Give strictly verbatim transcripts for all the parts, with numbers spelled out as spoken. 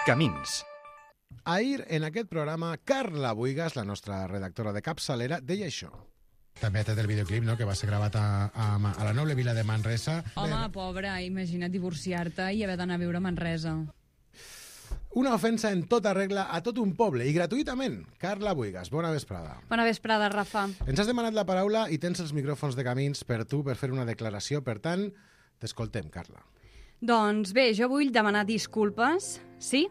Camins. Ahir, en aquest programa, Carla Buigas, la nostra redactora de capçalera, deia això. També ha tret el videoclip, no?, que va ser gravat a, a, a la noble vila de Manresa. Home, Bé, pobra, imagina't divorciar-te i haver d'anar a viure a Manresa. Una ofensa en tota regla a tot un poble, i gratuïtament. Carla Buigas, bona vesprada. Bona vesprada, Rafa. Ens has demanat la paraula i tens els micròfons de Camins per tu per fer una declaració. Per tant, t'escoltem, Carla. Doncs bé, jo vull demanar disculpes, sí?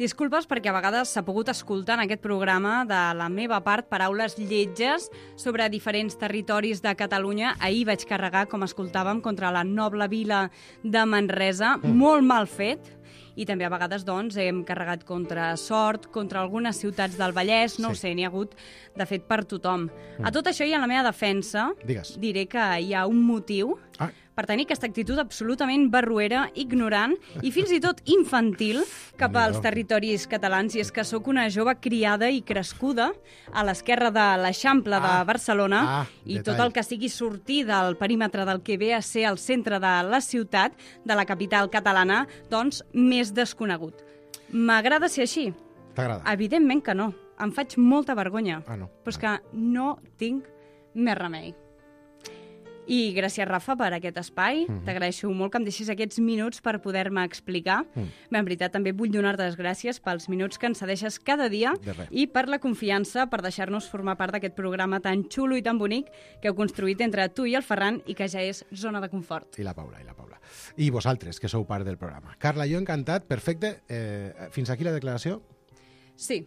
Disculpes perquè a vegades s'ha pogut escoltar en aquest programa de la meva part paraules lletges sobre diferents territoris de Catalunya. Ahir vaig carregar, com escoltàvem, contra la noble vila de Manresa, mm. molt mal fet. I també a vegades doncs, hem carregat contra Sort, contra algunes ciutats del Vallès, no sí. ho sé, n'hi ha hagut, de fet, per tothom. Mm. A tot això i en la meva defensa, Digues. diré que hi ha un motiu ah. per tenir aquesta actitud absolutament barruera, ignorant i fins i tot infantil cap als territoris catalans. I és que sóc una jove criada i crescuda a l'esquerra de l'Eixample ah. de Barcelona ah, i detall. tot el que sigui sortir del perímetre del que ve a ser el centre de la ciutat, de la capital catalana, doncs més desconegut. M'agrada ser així? T'agrada? Evidentment que no. Em faig molta vergonya. Ah, no. Però és que no tinc més remei. I gràcies, Rafa, per aquest espai. Mm-hmm. T'agraeixo molt que em deixis aquests minuts per poder-me explicar. Mm. Bé, en veritat, també vull donar-te les gràcies pels minuts que ens cedeixes cada dia i per la confiança per deixar-nos formar part d'aquest programa tan xulo i tan bonic que heu construït entre tu i el Ferran i que ja és zona de confort. I la Paula, i la Paula. I vosaltres, que sou part del programa. Carla, jo encantat, perfecte. Eh, fins aquí la declaració? Sí,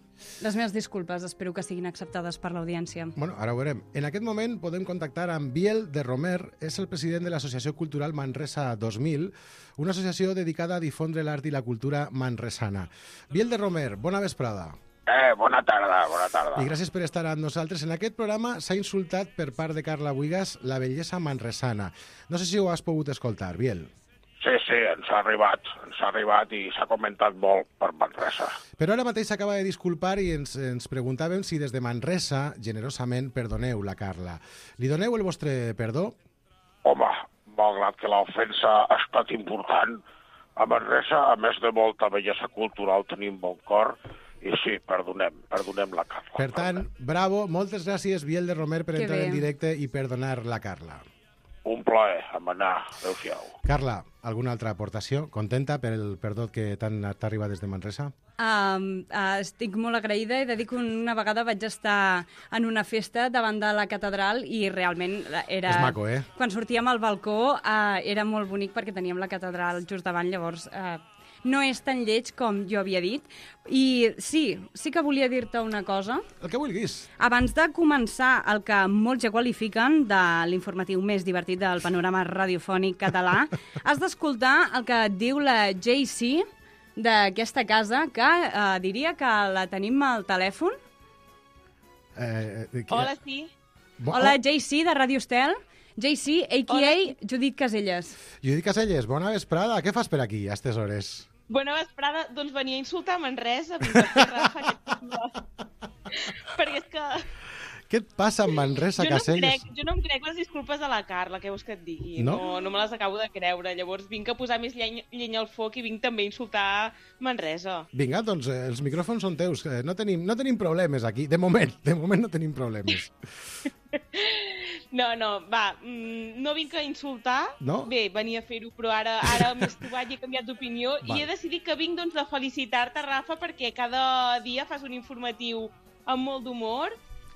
les meves disculpes, espero que siguin acceptades per l'audiència. Bueno, ara ho veurem. En aquest moment podem contactar amb Biel de Romer, és el president de l'Associació Cultural Manresa dos mil, una associació dedicada a difondre l'art i la cultura manresana. Biel de Romer, bona vesprada. Eh, bona tarda, bona tarda. I gràcies per estar amb nosaltres. En aquest programa s'ha insultat per part de Carla Buigas la bellesa manresana. No sé si ho has pogut escoltar, Biel. Sí, sí, ens ha arribat, ens ha arribat i s'ha comentat molt per Manresa. Però ara mateix s'acaba de disculpar i ens, ens preguntàvem si des de Manresa, generosament, perdoneu la Carla. Li doneu el vostre perdó? Home, malgrat que l'ofensa ha estat important, a Manresa, a més de molta bellesa cultural, tenim bon cor i sí, perdonem, perdonem la Carla. Per tant, bravo, moltes gràcies, Biel de Romer, per que entrar bé. en directe i perdonar la Carla. Un plaer, a manar, adéu-siau. Carla, alguna altra aportació? Contenta per el perdó que t'ha arribat des de Manresa? Um, uh, estic molt agraïda. He de dir que una vegada vaig estar en una festa davant de la catedral i realment era... És maco, eh? Quan sortíem al balcó uh, era molt bonic perquè teníem la catedral just davant, llavors... Uh, no és tan lleig com jo havia dit. I sí, sí que volia dir-te una cosa. El que vulguis. Abans de començar el que molts ja qualifiquen de l'informatiu més divertit del panorama radiofònic català, has d'escoltar el que et diu la J C d'aquesta casa, que eh, diria que la tenim al telèfon. Eh, eh, Hola, sí. Bo Hola, J C, de Radio Estel. J C, a k a. Hola. Judit Caselles. Judit Caselles, bona vesprada. Què fas per aquí, a aquestes hores? Bona vesprada. Doncs venia a insultar Manresa. Vinc a fer Rafa, aquest... Perquè és que... Què et passa amb Manresa, jo no Caselles? Crec, jo no em crec les disculpes a la Carla, què vols que et digui? No? No, no me les acabo de creure. Llavors vinc a posar més llenya, llenya al foc i vinc també a insultar Manresa. Vinga, doncs eh, els micròfons són teus. Eh, no, tenim, no tenim problemes aquí. De moment, de moment no tenim problemes. No, no, va, mm, no vinc a insultar. No? Bé, venia a fer-ho, però ara, ara m'he estovat i he canviat d'opinió. I he decidit que vinc doncs, a felicitar-te, Rafa, perquè cada dia fas un informatiu amb molt d'humor.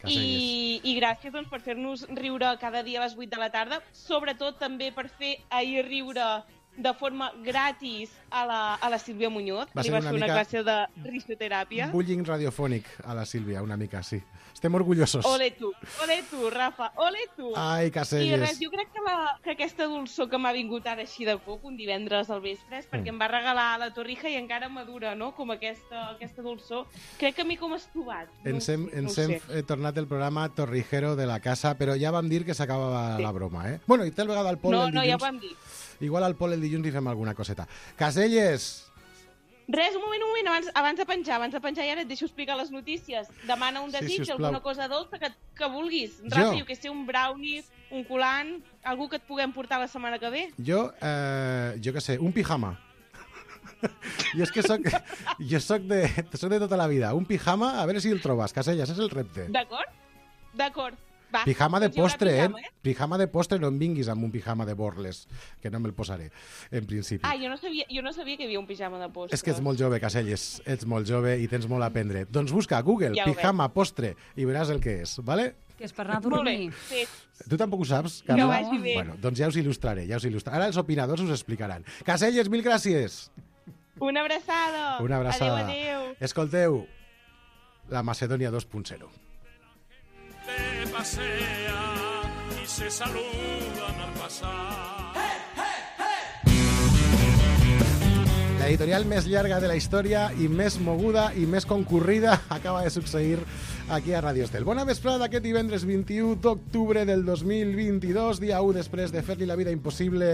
I, I gràcies doncs, per fer-nos riure cada dia a les vuit de la tarda, sobretot també per fer ahir riure de forma gratis a la, a la Sílvia Muñoz. Va Li ser vas una fer una mica classe de risoteràpia. Bullying radiofònic a la Sílvia, una mica, sí. Estem orgullosos. Ole tu, ole tu, Rafa, ole tu. Ai, Caselles. I res, jo crec que, la, que aquesta dolçor que m'ha vingut ara així de cop, un divendres al vespre, és perquè mm. em va regalar la torrija i encara madura, no?, com aquesta, aquesta dolçor. Crec que m'he com estovat. Ens hem, no, ens no hem sé. tornat el programa Torrijero de la casa, però ja vam dir que s'acabava sí. la broma, eh? Bueno, i tal vegada al Pol no, el dilluns... No, ja ho vam dir. Igual al Pol el dilluns hi fem alguna coseta. Caselles! Res, un moment, un moment, abans, abans de penjar, abans de penjar i ara et deixo explicar les notícies. Demana un desig, sí, alguna cosa dolça que, que vulguis. Rafa, jo? jo que sé, un brownie, un colant, algú que et puguem portar la setmana que ve. Jo, eh, jo que sé, un pijama. I és que soc, jo soc de, soc de tota la vida. Un pijama, a veure si el trobes, Caselles, és el repte. D'acord? D'acord. Va, Pijama de doncs hi haurà postre, pijama, eh? Pijama de postre, no em vinguis amb un pijama de borles, que no me'l posaré, en principi. Ah, jo no, sabia, jo no sabia que hi havia un pijama de postre. És que ets molt jove, Caselles, ets molt jove i tens molt a aprendre. Doncs busca a Google, Ja ho pijama, postre, i veràs el que és, vale? Que és per anar a Molt bé, dormir. fet. Tu tampoc ho saps, Que Carla? vagi bé. Bueno, doncs ja us il·lustraré, ja us il·lustraré. Ara els opinadors us explicaran. Caselles, mil gràcies! Una abraçada. Una abraçada. Adéu, adéu. Escolteu, la Macedònia dos punt zero. Te pasea y se saludan al pasar. L'editorial més llarga de la història i més moguda i més concurrida acaba de succeir aquí a Radio Estel. Bona vesprada aquest divendres vint-i-u d'octubre del dos mil vint-i-dos, dia u després de fer-li la vida impossible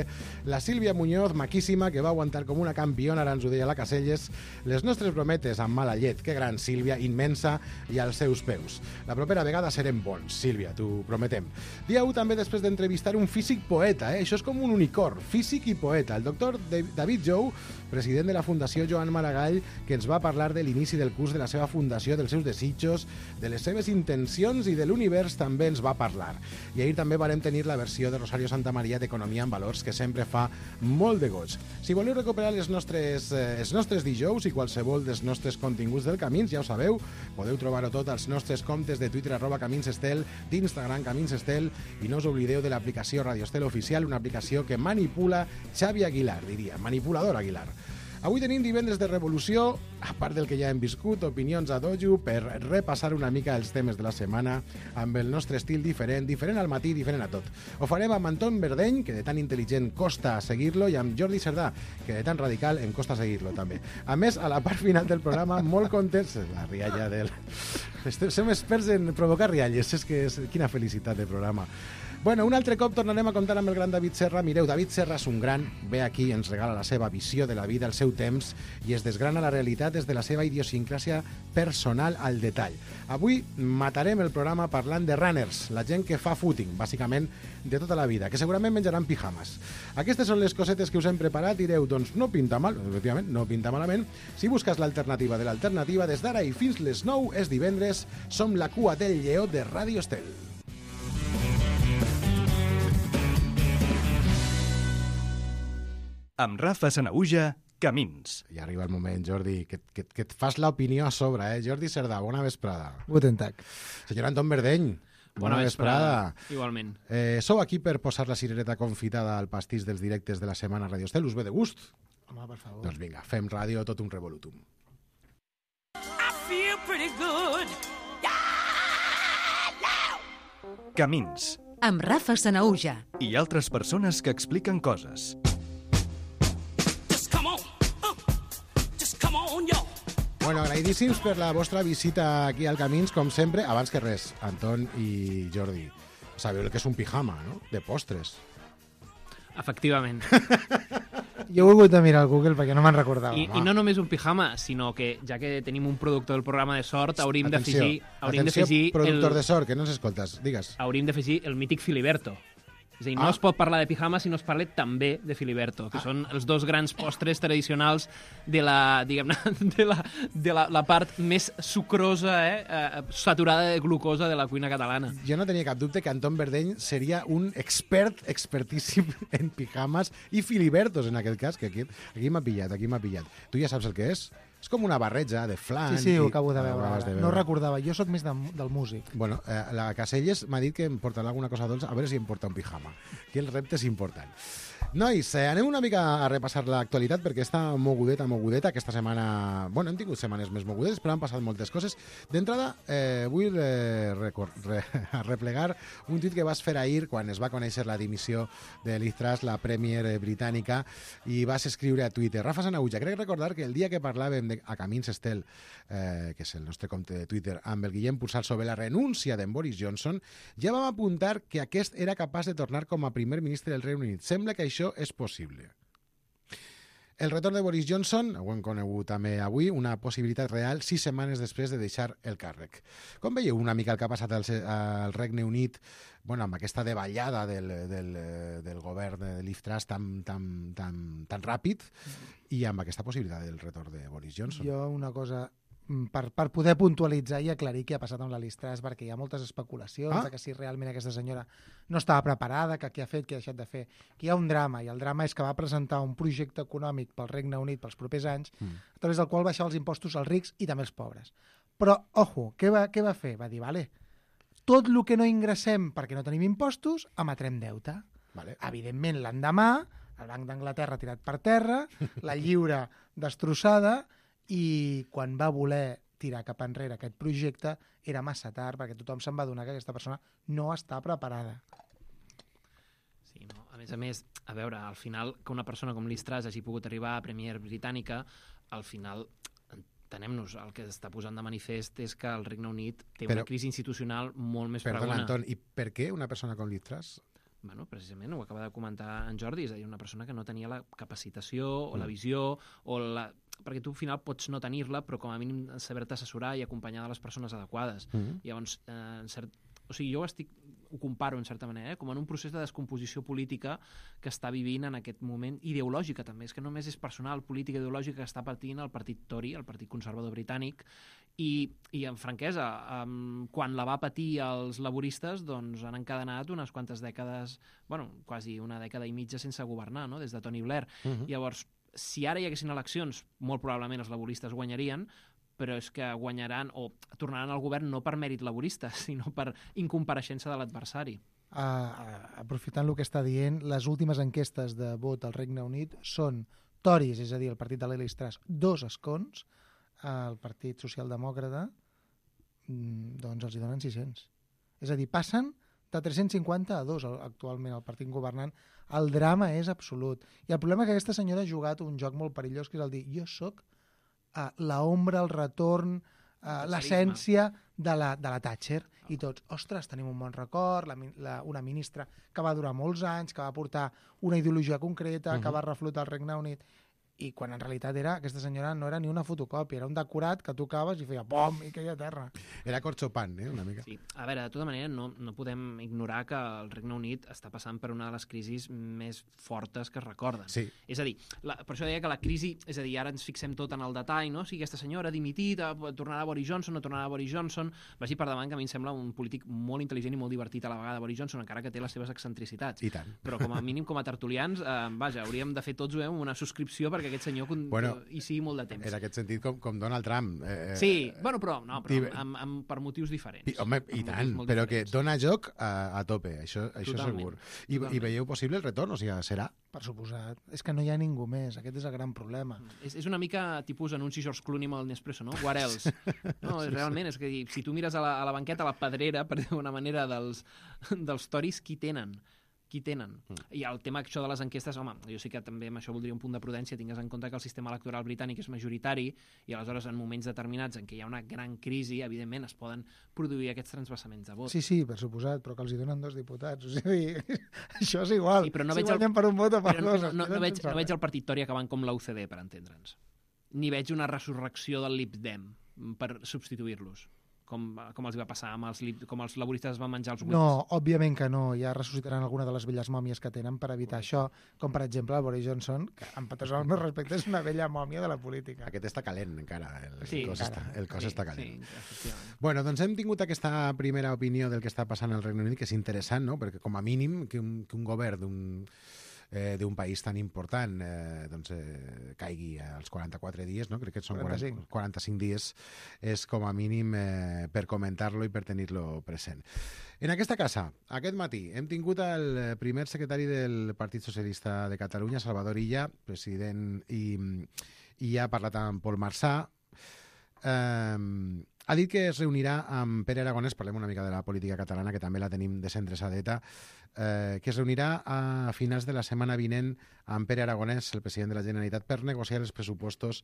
la Sílvia Muñoz, maquíssima, que va aguantar com una campiona, ara ens ho deia la Caselles, les nostres brometes amb mala llet. Que gran, Sílvia, immensa, i als seus peus. La propera vegada serem bons, Sílvia, t'ho prometem. Dia u també després d'entrevistar un físic poeta, eh? Això és com un unicorn, físic i poeta. El doctor David Jou, president de la Fundació Joan Maragall, que ens va parlar de l'inici del curs de la seva fundació, dels seus desitjos, de les seves intencions i de l'univers també ens va parlar. I ahir també varem tenir la versió de Rosario Santamaría d'Economia en Valors, que sempre fa molt de goig. Si voleu recuperar les nostres, eh, els nostres dijous i qualsevol dels nostres continguts del Camins, ja ho sabeu, podeu trobar-ho tot als nostres comptes de Twitter, arroba Camins Estel, d'Instagram Camins Estel, i no us oblideu de l'aplicació Radio Estel Oficial, una aplicació que manipula Xavi Aguilar, diria, manipulador Aguilar. Avui tenim divendres de revolució, a part del que ja hem viscut, opinions a dojo, per repassar una mica els temes de la setmana amb el nostre estil diferent, diferent al matí, diferent a tot. Ho farem amb Anton Verdeny, que de tan intel·ligent costa seguir-lo, i amb Jordi Cerdà, que de tan radical em costa seguir-lo també. A més, a la part final del programa, molt contents... La rialla del... Som experts en provocar rialles, és que és... Quina felicitat de programa. Bueno, un altre cop tornarem a comptar amb el gran David Serra. Mireu, David Serra és un gran, ve aquí, ens regala la seva visió de la vida, el seu temps, i es desgrana la realitat des de la seva idiosincràsia personal al detall. Avui matarem el programa parlant de runners, la gent que fa footing, bàsicament de tota la vida, que segurament menjaran pijamas. Aquestes són les cosetes que us hem preparat, direu, doncs no pinta mal, efectivament, no pinta malament. Si busques l'alternativa de l'alternativa, des d'ara i fins les nou és divendres, som la cua del lleó de Radio Estel. Amb Rafa Sanahuja, Camins. I arriba el moment, Jordi, que, que, que et fas l'opinió a sobre, eh? Jordi Cerdà, bona vesprada. Guten Tag. Senyor Anton Verdeny, bona, bona vesprada. vesprada. Igualment. Eh, sou aquí per posar la cirereta confitada al pastís dels directes de la setmana a Radio Estel. Us ve de gust? Home, per favor. Doncs vinga, fem ràdio, tot un revolutum. I feel pretty good. Camins. Amb Rafa Sanahuja. I altres persones que expliquen coses. Bueno, agraïdíssims per la vostra visita aquí al Camins, com sempre. Abans que res, Anton i Jordi, sabeu el que és un pijama, no? De postres. Efectivament. Jo he volgut mirar al Google perquè no me'n recordava. I, I no només un pijama, sinó que, ja que tenim un productor del programa de sort, hauríem d'afegir... Hauríem atenció, d'afegir productor el, de sort, que no ens escoltes, digues. Hauríem d'afegir el mític Filiberto. És a dir, no Ah. es pot parlar de pijama si no es parla també de Filiberto, que ah. són els dos grans postres tradicionals de la, diguem-ne, de la, de la, la part més sucrosa, eh, eh, saturada de glucosa de la cuina catalana. Jo no tenia cap dubte que Anton Verdeny seria un expert, expertíssim en pijamas i filibertos, en aquest cas, que aquí, aquí m'ha pillat, aquí m'ha pillat. Tu ja saps el que és? És com una barreja de flan. Sí, sí, ho i... acabo de Ah, veure. ho acabes de veure. No recordava. Jo sóc més de, del músic. Bueno, eh, la Caselles m'ha dit que em portarà alguna cosa dolça, a veure si em porta un pijama. Aquí el repte és important. Nois, eh, anem una mica a repassar l'actualitat perquè està mogudeta, mogudeta. Aquesta setmana... Bueno, hem tingut setmanes més mogudetes, però han passat moltes coses. D'entrada, eh, vull eh, recor- re- replegar un tuit que vas fer ahir quan es va conèixer la dimissió de Liz Truss, la premier britànica, i vas escriure a Twitter. Rafa Sanahuja, crec recordar que el dia que parlàvem de, a Camins Estel, eh, que és el nostre compte de Twitter, amb el Guillem Pulsar sobre la renúncia d'en Boris Johnson, ja vam apuntar que aquest era capaç de tornar com a primer ministre del Regne Unit. Sembla que això és possible. El retorn de Boris Johnson, ho hem conegut també avui, una possibilitat real sis setmanes després de deixar el càrrec. Com veieu una mica el que ha passat al, al Regne Unit, bueno, amb aquesta davallada del, del, del govern de Liz Truss tan, tan, tan, tan ràpid i amb aquesta possibilitat del retorn de Boris Johnson? Jo una cosa... Per, per poder puntualitzar i aclarir què ha passat amb la Liz Truss, perquè hi ha moltes especulacions ah? de que si realment aquesta senyora no estava preparada, que què ha fet, què ha deixat de fer, que hi ha un drama, i el drama és que va presentar un projecte econòmic pel Regne Unit pels propers anys, mm. a través del qual baixava els impostos als rics i també als pobres. Però, ojo, què va, què va fer? Va dir, vale, tot el que no ingressem perquè no tenim impostos, emetrem deute. Vale. Evidentment, l'endemà, el Banc d'Anglaterra tirat per terra, la lliura destrossada, i quan va voler tirar cap enrere aquest projecte era massa tard, perquè tothom se'n va adonar que aquesta persona no està preparada. Sí, no? A més a més, a veure, al final, que una persona com Liz Truss hagi pogut arribar a Premier britànica, al final, entenem-nos, el que està posant de manifest és que el Regne Unit té Però, una crisi institucional molt més perdona, fregona. Anton, i per què una persona com Liz Truss? Bueno, precisament, ho acaba de comentar en Jordi, és a dir, una persona que no tenia la capacitació o mm. la visió, o la... perquè tu al final pots no tenir-la, però com a mínim saber-te assessorar i acompanyar de les persones adequades. Mm. Llavors, eh, en cert... o sigui, jo ho, estic... ho comparo en certa manera, eh? com en un procés de descomposició política que està vivint en aquest moment, ideològica també, és que només és personal, política ideològica que està patint el partit Tory, el partit conservador britànic, i, i en franquesa, um, quan la va patir els laboristes, doncs han encadenat unes quantes dècades, bueno, quasi una dècada i mitja sense governar, no?, des de Tony Blair. Uh-huh. Llavors, si ara hi haguessin eleccions, molt probablement els laboristes guanyarien, però és que guanyaran o tornaran al govern no per mèrit laborista, sinó per incompareixença de l'adversari. Uh, uh, aprofitant el que està dient, les últimes enquestes de vot al Regne Unit són Tories, és a dir, el partit de Liz Truss, dos escons, el Partit Socialdemòcrata, doncs els hi donen sis-cents. És a dir, passen de tres-cents cinquanta a dos actualment el partit governant. El drama és absolut. I el problema és que aquesta senyora ha jugat un joc molt perillós, que és el dir, jo soc uh, l'ombra, el retorn, uh, l'essència de la, de la Thatcher. I tots, ostres, tenim un bon record, la, la, una ministra que va durar molts anys, que va portar una ideologia concreta, uh-huh. que va reflotar el Regne Unit, i quan en realitat era, aquesta senyora no era ni una fotocòpia, era un decorat que tocaves i feia pom i queia a terra. Era Corchopan, eh, una mica. Sí. A veure, de tota manera, no, no podem ignorar que el Regne Unit està passant per una de les crisis més fortes que es recorden. Sí. És a dir, la, per això deia que la crisi, és a dir, ara ens fixem tot en el detall, no? Si aquesta senyora ha dimitit, tornarà Boris Johnson, no tornarà Boris Johnson, vagi per davant, que a mi em sembla un polític molt intel·ligent i molt divertit a la vegada, Boris Johnson, encara que té les seves excentricitats. I tant. Però com a mínim, com a tertulians, eh, vaja, hauríem de fer tots eh, una subscripció perquè aquest senyor bueno, hi sigui molt de temps. En aquest sentit, com, com Donald Trump. Eh, sí, bueno, però, no, però amb, amb, per motius diferents. I, home, i tant, però diferents. Que dona joc a, a tope, això, això segur. I, I veieu possible el retorn? O sigui, serà? Per suposat. És que no hi ha ningú més, aquest és el gran problema. És, és una mica tipus anunci George Clooney amb el Nespresso, no? What else? No, és, realment, és que si tu mires a la, a la banqueta, a la pedrera, per dir una manera, dels, dels Tories, qui tenen? qui tenen. Mm. I el tema això de les enquestes, home, jo sí que també amb això voldria un punt de prudència, tingues en compte que el sistema electoral britànic és majoritari i aleshores en moments determinats en què hi ha una gran crisi, evidentment es poden produir aquests transvasaments de vot. Sí, sí, per suposat, però que els hi donen dos diputats. O sigui, això és igual. Sí, però no si veig guanyen el... per un vot o per però dos. No, no, no, veig, no veig el partit Tory acabant com l'U C D, per entendre'ns. Ni veig una resurrecció del Lib Dem per substituir-los. Com, com els va passar amb els, com els laboristes van menjar els buits. No, òbviament que no. Ja ressuscitaran alguna de les velles mòmies que tenen per evitar això, com per exemple el Boris Johnson, que amb tots els meus respectes és una vella mòmia de la política. Aquest està calent encara, el, sí, el cos, encara. Està, el cos sí, està calent. Sí, bueno, doncs hem tingut aquesta primera opinió del que està passant al Regne Unit, que és interessant, no? Perquè com a mínim que un, que un govern d'un eh, d'un país tan important eh, doncs, eh, caigui als quaranta-quatre dies, no? Crec que són quaranta-cinc. quaranta-cinc dies, és com a mínim eh, per comentar-lo i per tenir-lo present. En aquesta casa, aquest matí, hem tingut el primer secretari del Partit Socialista de Catalunya, Salvador Illa, president, i, i ha parlat amb Pol Marsà. Um, Ha dit que es reunirà amb Pere Aragonès, parlem una mica de la política catalana, que també la tenim desendreçadeta, eh, que es reunirà a finals de la setmana vinent amb Pere Aragonès, el president de la Generalitat, per negociar els pressupostos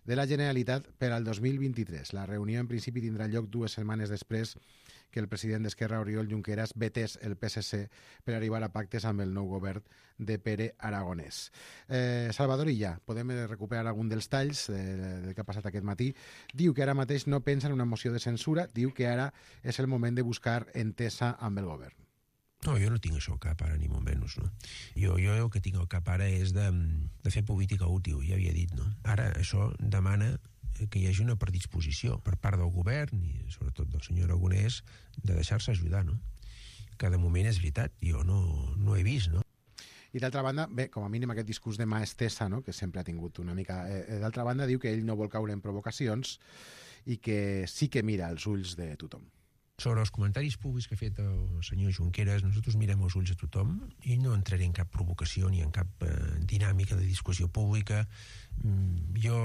de la Generalitat per al dos mil vint-i-tres. La reunió, en principi, tindrà lloc dues setmanes després que el president d'Esquerra, Oriol Junqueras, vetés el P S C per arribar a pactes amb el nou govern de Pere Aragonès. Eh, Salvador Illa, podem recuperar algun dels talls de, del que ha passat aquest matí. Diu que ara mateix no pensa en una moció de censura, diu que ara és el moment de buscar entesa amb el govern. No, jo no tinc això al cap ara, ni molt menys, no? Jo, jo el que tinc al cap ara és de, de fer política útil, ja havia dit, no? Ara això demana que hi hagi una predisposició per part del govern i sobretot del senyor Aragonès de deixar-se ajudar, no? Que de moment és veritat, jo no, no he vist, no? I d'altra banda, bé, com a mínim aquest discurs de mà estesa, no?, que sempre ha tingut una mica... Eh, d'altra banda, diu que ell no vol caure en provocacions i que sí que mira els ulls de tothom. Sobre els comentaris públics que ha fet el senyor Junqueras, nosaltres mirem els ulls de tothom i no entraré en cap provocació ni en cap eh, dinàmica de discussió pública. Mm, jo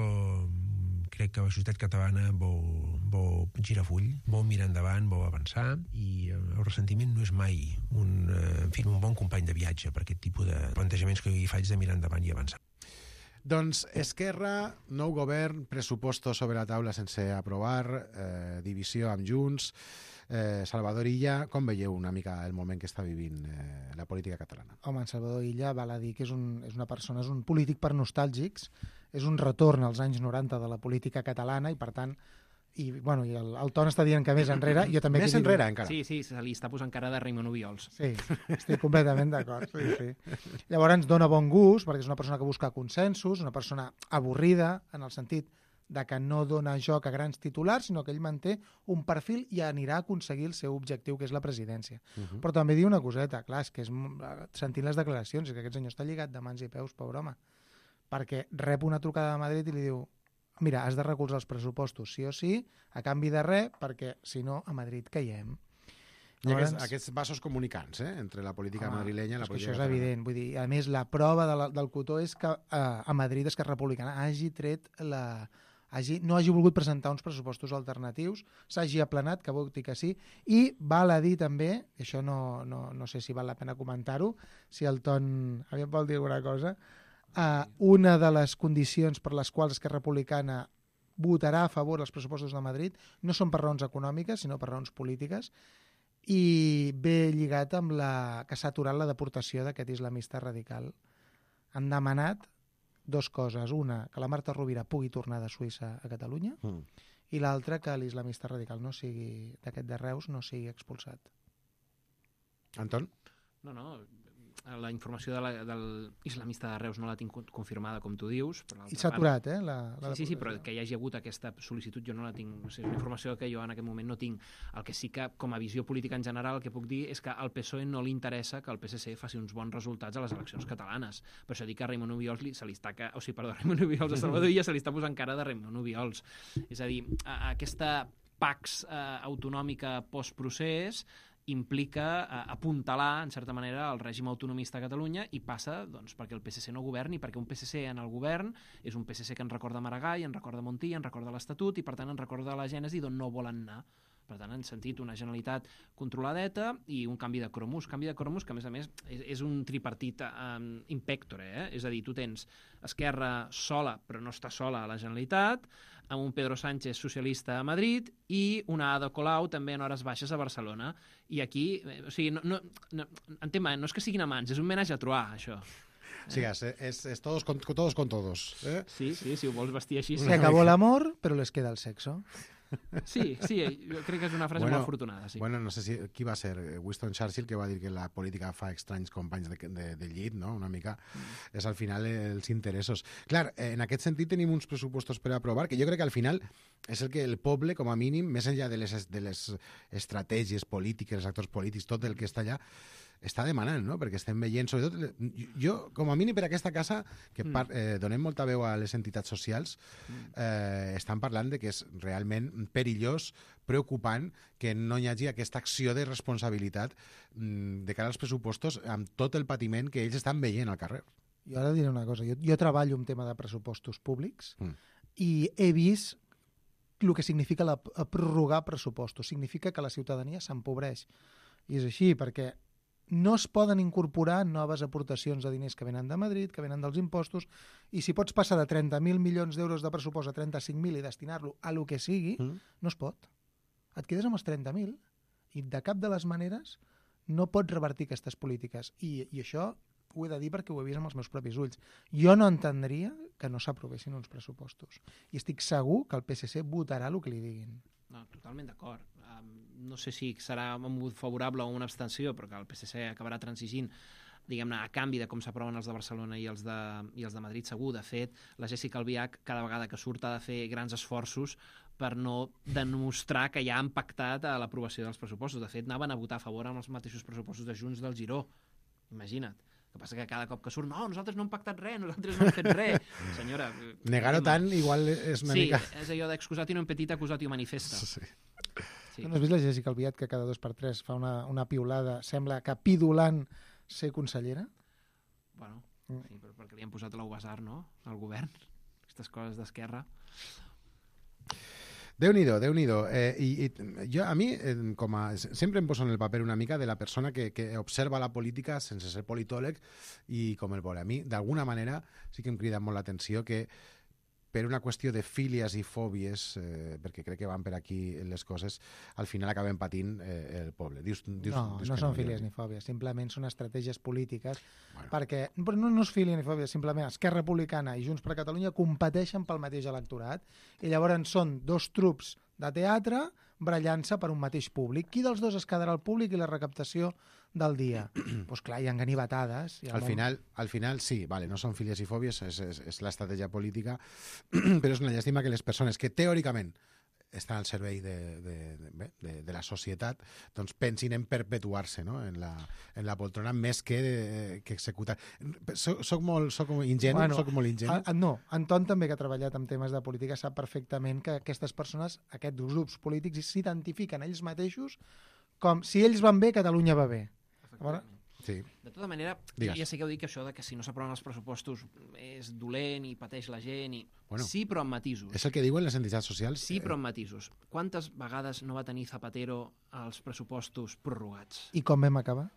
crec que la societat catalana vol, vol girar full, vol mirar endavant, vol avançar, i el ressentiment no és mai un, eh, en fi, un bon company de viatge per aquest tipus de plantejaments que jo hi faig de mirar endavant i avançar. Doncs Esquerra, nou govern, pressupostos sobre la taula sense aprovar, eh, divisió amb Junts. Eh, Salvador Illa, com veieu una mica el moment que està vivint eh, la política catalana? Home, en Salvador Illa val a dir que és, un, és una persona, és un polític per nostàlgics, és un retorn als anys noranta de la política catalana i, per tant, i, bueno, i el, el Ton està dient que més enrere, jo també... Més enrere, dic... encara. Sí, sí, se li està posant cara de Raimon Obiols. Sí, estic completament d'acord. Sí, sí. Llavors ens dona bon gust, perquè és una persona que busca consensos, una persona avorrida, en el sentit de que no dona joc a grans titulars, sinó que ell manté un perfil i anirà a aconseguir el seu objectiu, que és la presidència. Uh-huh. Però també diu una coseta, clar, és que és, sentint les declaracions, és que aquest senyor està lligat de mans i peus, pobre home, perquè rep una trucada de Madrid i li diu: mira, has de recolzar els pressupostos, sí o sí, a canvi de res, perquè si no, a Madrid caiem. I aquests, aquests vasos comunicants, eh?, entre la política home, madrilenya i la política catalana. Això és evident. Vull dir, a més, la prova de la, del cotó és que eh, a Madrid Esquerra Republicana hagi tret la... Hagi, no hagi volgut presentar uns pressupostos alternatius, s'hagi aplanat, que voti que sí, i val a dir també, i això no, no, no sé si val la pena comentar-ho, si el Ton aviam vol dir alguna cosa, uh, una de les condicions per les quals Esquerra Republicana votarà a favor dels pressupostos de Madrid no són per raons econòmiques, sinó per raons polítiques, i ve lligat amb la que s'ha aturat la deportació d'aquest islamista radical. Han demanat dos coses. Una, que la Marta Rovira pugui tornar de Suïssa a Catalunya, mm. i l'altra, que l'islamista radical no sigui d'aquest de Reus no sigui expulsat. Anton? No, no, la informació de la, del islamista de Reus no la tinc confirmada, com tu dius. Però I s'ha aturat, eh? La, la sí, sí, sí, però que hi hagi hagut aquesta sol·licitud jo no la tinc. O sigui, és una informació que jo en aquest moment no tinc. El que sí que, com a visió política en general, el que puc dir és que al P S O E no li interessa que el P S C faci uns bons resultats a les eleccions catalanes. Per això dic que a Raimon Obiols li, se li està... O sigui, perdó, a Raimon Obiols, a Salvador Illa se li està posant cara de Raimon Obiols. És a dir, a, a aquesta pax eh, autonòmica postprocés implica eh, apuntalar, en certa manera, el règim autonomista a Catalunya, i passa doncs, perquè el P S C no governi, perquè un P S C en el govern és un P S C que ens recorda Maragall, ens recorda Montilla, ens recorda l'Estatut i, per tant, ens recorda la gènesi d'on no volen anar. Per tant, han sentit una Generalitat controladeta i un canvi de cromos. Canvi de cromos que, a més a més, és, és un tripartit um, in pectore, eh? És a dir, tu tens Esquerra sola, però no està sola a la Generalitat, amb un Pedro Sánchez socialista a Madrid i una Ada Colau també en hores baixes a Barcelona. I aquí, eh, o sigui, no, no, no, entén-me, no és que siguin amants, és un menage a trois, això. Sí, és, és, és todos, con, todos con todos. Eh? Sí, sí, si ho vols vestir així. Se acabó l'amor, però les queda el sexo. Sí, sí, jo crec que és una frase bueno, molt afortunada. Sí. Bueno, no sé si, qui va ser? Winston Churchill, que va dir que la política fa estranys companys de, de, de llit, no? Una mica mm. és al final els interessos. Clar, en aquest sentit tenim uns pressupostos per aprovar, que jo crec que al final és el que el poble, com a mínim, més enllà de les, de les estratègies polítiques, els actors polítics, tot el que està allà, està demanant, no? Perquè estem veient, sobretot, jo, com a mínim per aquesta casa, que par, eh, donem molta veu a les entitats socials, eh, estan parlant de que és realment perillós, preocupant, que no hi hagi aquesta acció de responsabilitat mm, de cara als pressupostos amb tot el patiment que ells estan veient al carrer. Jo ara diré una cosa, jo, jo treballo un tema de pressupostos públics mm. i he vist el que significa la, prorrogar pressupostos. Significa que la ciutadania s'empobreix. I és així, perquè no es poden incorporar noves aportacions de diners que venen de Madrid, que venen dels impostos, i si pots passar de trenta mil milions d'euros de pressupost a trenta-cinc mil i destinar-lo a lo que sigui, mm. no es pot. Et quedes amb els trenta mil i de cap de les maneres no pots revertir aquestes polítiques. I, i això ho he de dir perquè ho he vist amb els meus propis ulls. Jo no entendria que no s'aprovessin uns pressupostos. I estic segur que el P S C votarà el que li diguin. No, totalment d'acord. Um, no sé si serà un vot favorable o una abstenció, però que el P S C acabarà transigint, diguem-ne, a canvi de com s'aproven els de Barcelona i els de, i els de Madrid, segur. De fet, la Jéssica Albiach, cada vegada que surt, ha de fer grans esforços per no demostrar que ja han pactat a l'aprovació dels pressupostos. De fet, anaven a votar a favor amb els mateixos pressupostos de Junts del Giró. Imagina't. El que passa que cada cop que surt, no, nosaltres no hem pactat res, nosaltres no hem fet res. Senyora... Negar-ho tant igual és una sí, mica... Sí, és allò d'excusatio non petita, accusatio manifesta. Sí. Sí. No has vist la Jéssica Albiach que cada dos per tres fa una, una piulada, sembla que pidolant ser consellera? Bueno, mm. sí, però perquè li han posat l'Ubasar, no?, al govern. Aquestes coses d'esquerra. Déu-n'hi-do, Déu-n'hi-do. Eh, i, i jo, a mi, eh, com a, sempre em poso en el paper una mica de la persona que, que observa la política sense ser politòleg i com el vol. A mi, d'alguna manera, sí que em crida molt l'atenció que per una qüestió de fílies i fòbies, eh, perquè crec que van per aquí les coses, al final acaben patint eh, el poble. Dius, dius, no, dius no són no, fílies ni fòbies, simplement són estratègies polítiques, bueno. perquè però no, no és fília ni fòbia, simplement Esquerra Republicana i Junts per Catalunya competeixen pel mateix electorat i llavors són dos trups de teatre brallant-se per un mateix públic. Qui dels dos es quedarà al públic i la recaptació del dia? Doncs pues clar, hi ha ganivetades. Al final, al final sí, vale, no són fílies i fòbies, és, és, és l'estratègia política, però és una llàstima que les persones que teòricament estan al servei de, de, de, de, de la societat doncs pensin en perpetuar-se, no?, en, la, en la poltrona més que, de, que executar. Soc, soc molt soc ingenu? Bueno, soc molt ingenu? A, no, Anton també, que ha treballat en temes de política, sap perfectament que aquestes persones, aquests grups polítics, s'identifiquen ells mateixos com si ells van bé, Catalunya va bé. Veure? Sí. De tota manera, Digues. ja sé que heu dit que això de que si no s'aproven els pressupostos és dolent i pateix la gent, i... Bueno, sí, però amb matisos. És el que diuen les entitats socials. Sí, però amb matisos. Quantes vegades no va tenir Zapatero els pressupostos prorrogats? I com vam acabar?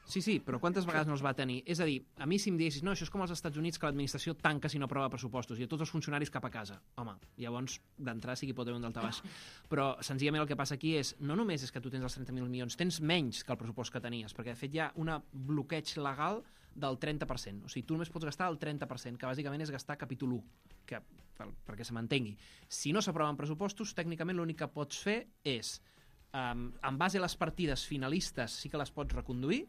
Sí, sí, però quantes vegades no els va tenir? És a dir, a mi si em diguessis, no, això és com als Estats Units, que l'administració tanca si no aprova pressupostos i a tots els funcionaris cap a casa. Home, llavors d'entrar sí que hi pot haver un daltabaix. Però senzillament el que passa aquí és, no només és que tu tens els trenta mil milions, tens menys que el pressupost que tenies, perquè de fet hi ha un bloqueig legal del trenta per cent. O sigui, tu només pots gastar el trenta per cent, que bàsicament és gastar capítol u, que, per, perquè se m'entengui. Si no s'aproven pressupostos, tècnicament l'únic que pots fer és, um, en base a les partides finalistes sí que les pots reconduir,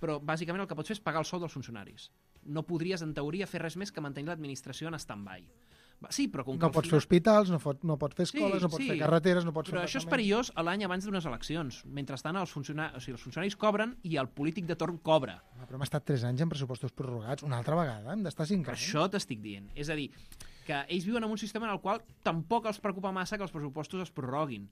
però bàsicament el que pots fer és pagar el sou dels funcionaris. No podries, en teoria, fer res més que mantenir l'administració en stand-by. Sí, però com que no pots final... fer hospitals, no, fot, no pots fer escoles, sí, no pots sí, fer carreteres, no pots però fer... Però això és perillós a l'any abans d'unes eleccions. Mentrestant, els, funciona... o sigui, els funcionaris cobren i el polític de torn cobra. No, però hem estat tres anys en pressupostos prorrogats. Una altra vegada, hem d'estar cinc anys. Això t'estic dient. És a dir, que ells viuen en un sistema en el qual tampoc els preocupa massa que els pressupostos es prorroguin.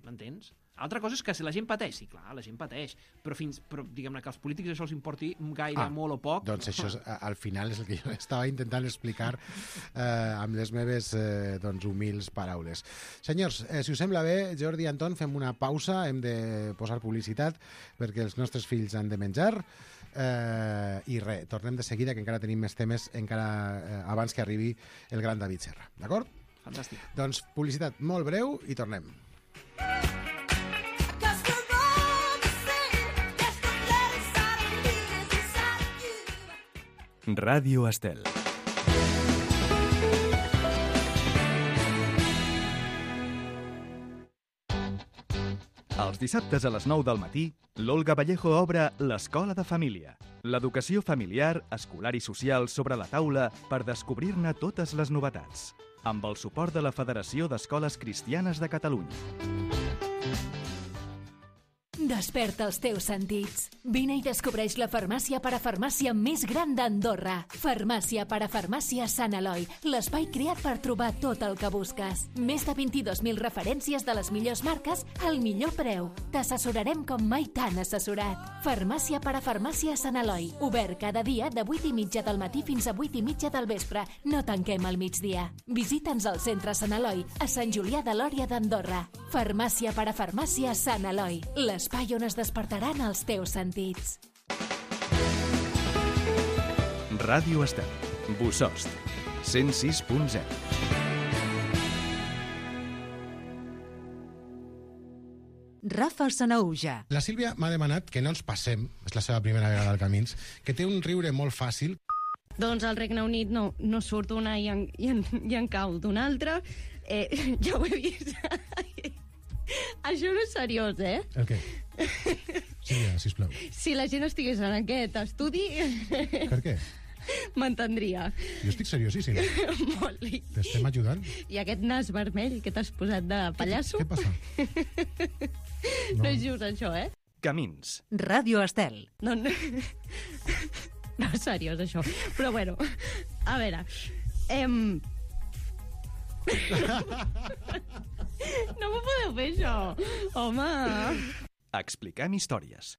M'entens? Altra cosa és que si la gent pateix, sí, clar, la gent pateix, però, fins, però diguem-ne que als polítics això els importi gaire, ah, molt o poc... Doncs això és, al final és el que jo estava intentant explicar eh, amb les meves eh, doncs, humils paraules. Senyors, eh, si us sembla bé, Jordi i Anton, fem una pausa, hem de posar publicitat perquè els nostres fills han de menjar eh, i res, tornem de seguida que encara tenim més temes encara eh, abans que arribi el gran David Serra, d'acord? Fantàstic. Doncs publicitat molt breu i tornem. Ràdio Estel. Els dissabtes a les nou del matí, l'Olga Vallejo obre l'Escola de Família. L'educació familiar, escolar i social sobre la taula per descobrir-ne totes les novetats. Amb el suport de la Federació d'Escoles Cristianes de Catalunya. Desperta els teus sentits. Vine i descobreix la farmàcia parafarmàcia més gran d'Andorra. Farmàcia parafarmàcia Sant Eloi, l'espai creat per trobar tot el que busques. Més de vint-i-dos mil referències de les millors marques al millor preu. T'assessorarem com mai t'han assessorat. Farmàcia parafarmàcia Sant Eloi, obert cada dia de vuit i mitja del matí fins a vuit i mitja del vespre. No tanquem al migdia. Visita'ns al centre Sant Eloi, a Sant Julià de Lòria d'Andorra. Farmàcia parafarmàcia Sant Eloi, l'espai on es despertaran els teus sentits. Ràdio Estel, Bossòst, cent sis punt zero. Rafa Sanauja. La Sílvia m'ha demanat que no ens passem, és la seva primera vegada al Camins, que té un riure molt fàcil. Doncs al Regne Unit no, no surt una i en, i en, i en cau d'una altra. Eh, ja ho he vist. Això no és seriós, eh? El què? Sílvia, sisplau. Si la gent estigués en aquest estudi... Per què? M'entendria. Jo estic seriosíssim. Molt. T'estem ajudant? I aquest nas vermell que t'has posat de pallasso... Què, què passa? No. no és just això, eh? Camins. Ràdio Estel. No, no... No és seriós, això. Però bueno, a veure... Em... No m'ho podeu fer, això. Home... Expliquem històries.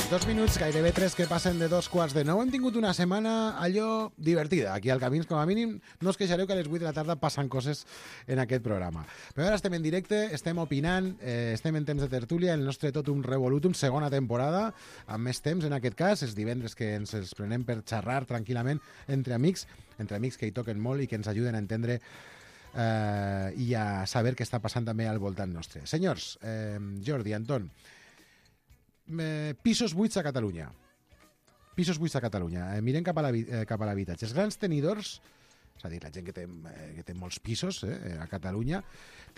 Dos minuts, gairebé tres que passen de dos quarts de nou. Hem tingut una setmana allò divertida. Aquí al Camins, com a mínim, no us queixareu que a les vuit de la tarda passen coses en aquest programa. Però ara estem en directe, estem opinant, eh, estem en temps de tertúlia, el nostre Totum Revolutum, segona temporada, amb més temps en aquest cas, els divendres que ens els prenem per xerrar tranquil·lament entre amics, entre amics que hi toquen molt i que ens ajuden a entendre eh, i a saber què està passant també al voltant nostre. Senyors, eh, Jordi, Anton, Eh, pisos buits a Catalunya. Pisos buits a Catalunya. Eh, mirem cap a l'habitatge. Els grans tenidors, és a dir, la gent que té, eh, que té molts pisos eh, a Catalunya,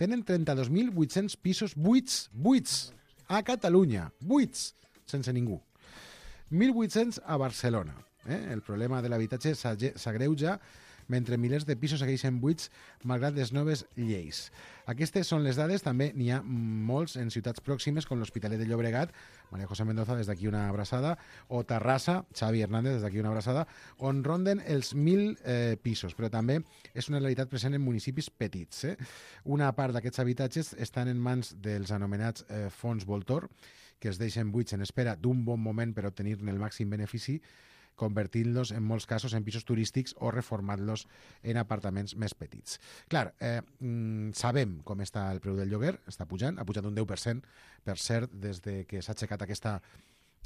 tenen trenta-dos mil vuit-cents pisos buits, buits, a Catalunya. Buits, sense ningú. mil vuit-cents a Barcelona. Eh? El problema de l'habitatge s'agreuja mentre milers de pisos segueixen buits malgrat les noves lleis. Aquestes són les dades, també n'hi ha molts en ciutats pròximes com l'Hospitalet de Llobregat, María José Mendoza, des d'aquí una abraçada, o Terrassa, Xavi Hernández, des d'aquí una abraçada, on ronden els mil eh, pisos, però també és una realitat present en municipis petits. Eh? Una part d'aquests habitatges estan en mans dels anomenats eh, fons Voltor, que es deixen buits en espera d'un bon moment per obtenir-ne el màxim benefici, convertint-los en molts casos en pisos turístics o reformant-los en apartaments més petits. Clar, eh, sabem com està el preu del lloguer, està pujant, ha pujat un deu per cent, per cert, des de que s'ha aixecat aquesta,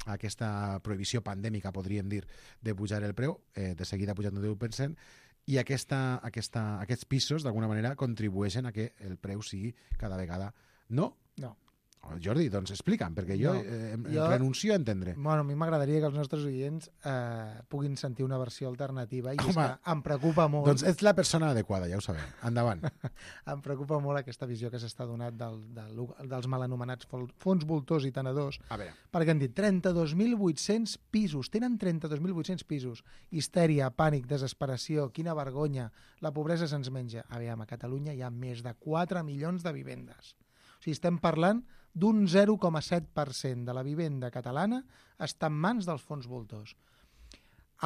aquesta prohibició pandèmica, podríem dir, de pujar el preu, eh, de seguida ha pujat un deu per cent, i aquesta, aquesta, aquests pisos, d'alguna manera, contribueixen a que el preu sigui cada vegada... No? No. Jordi, doncs explica'm, perquè jo, no, eh, jo renuncio a entendre. Bueno, a mi m'agradaria que els nostres oients eh, puguin sentir una versió alternativa i és que em preocupa molt... Doncs ets la persona adequada, ja ho sabem. Endavant. Em preocupa molt aquesta visió que s'està donant del, del, dels mal anomenats fons voltors i tenedors, perquè han dit trenta-dos mil vuit-cents pisos, tenen trenta-dos mil vuit-cents pisos. Histèria, pànic, desesperació, quina vergonya, la pobresa se'ns menja. Aviam, a Catalunya hi ha més de quatre milions de vivendes. O sigui, estem parlant d'un zero coma set per cent de la vivenda catalana està en mans dels fons voltors.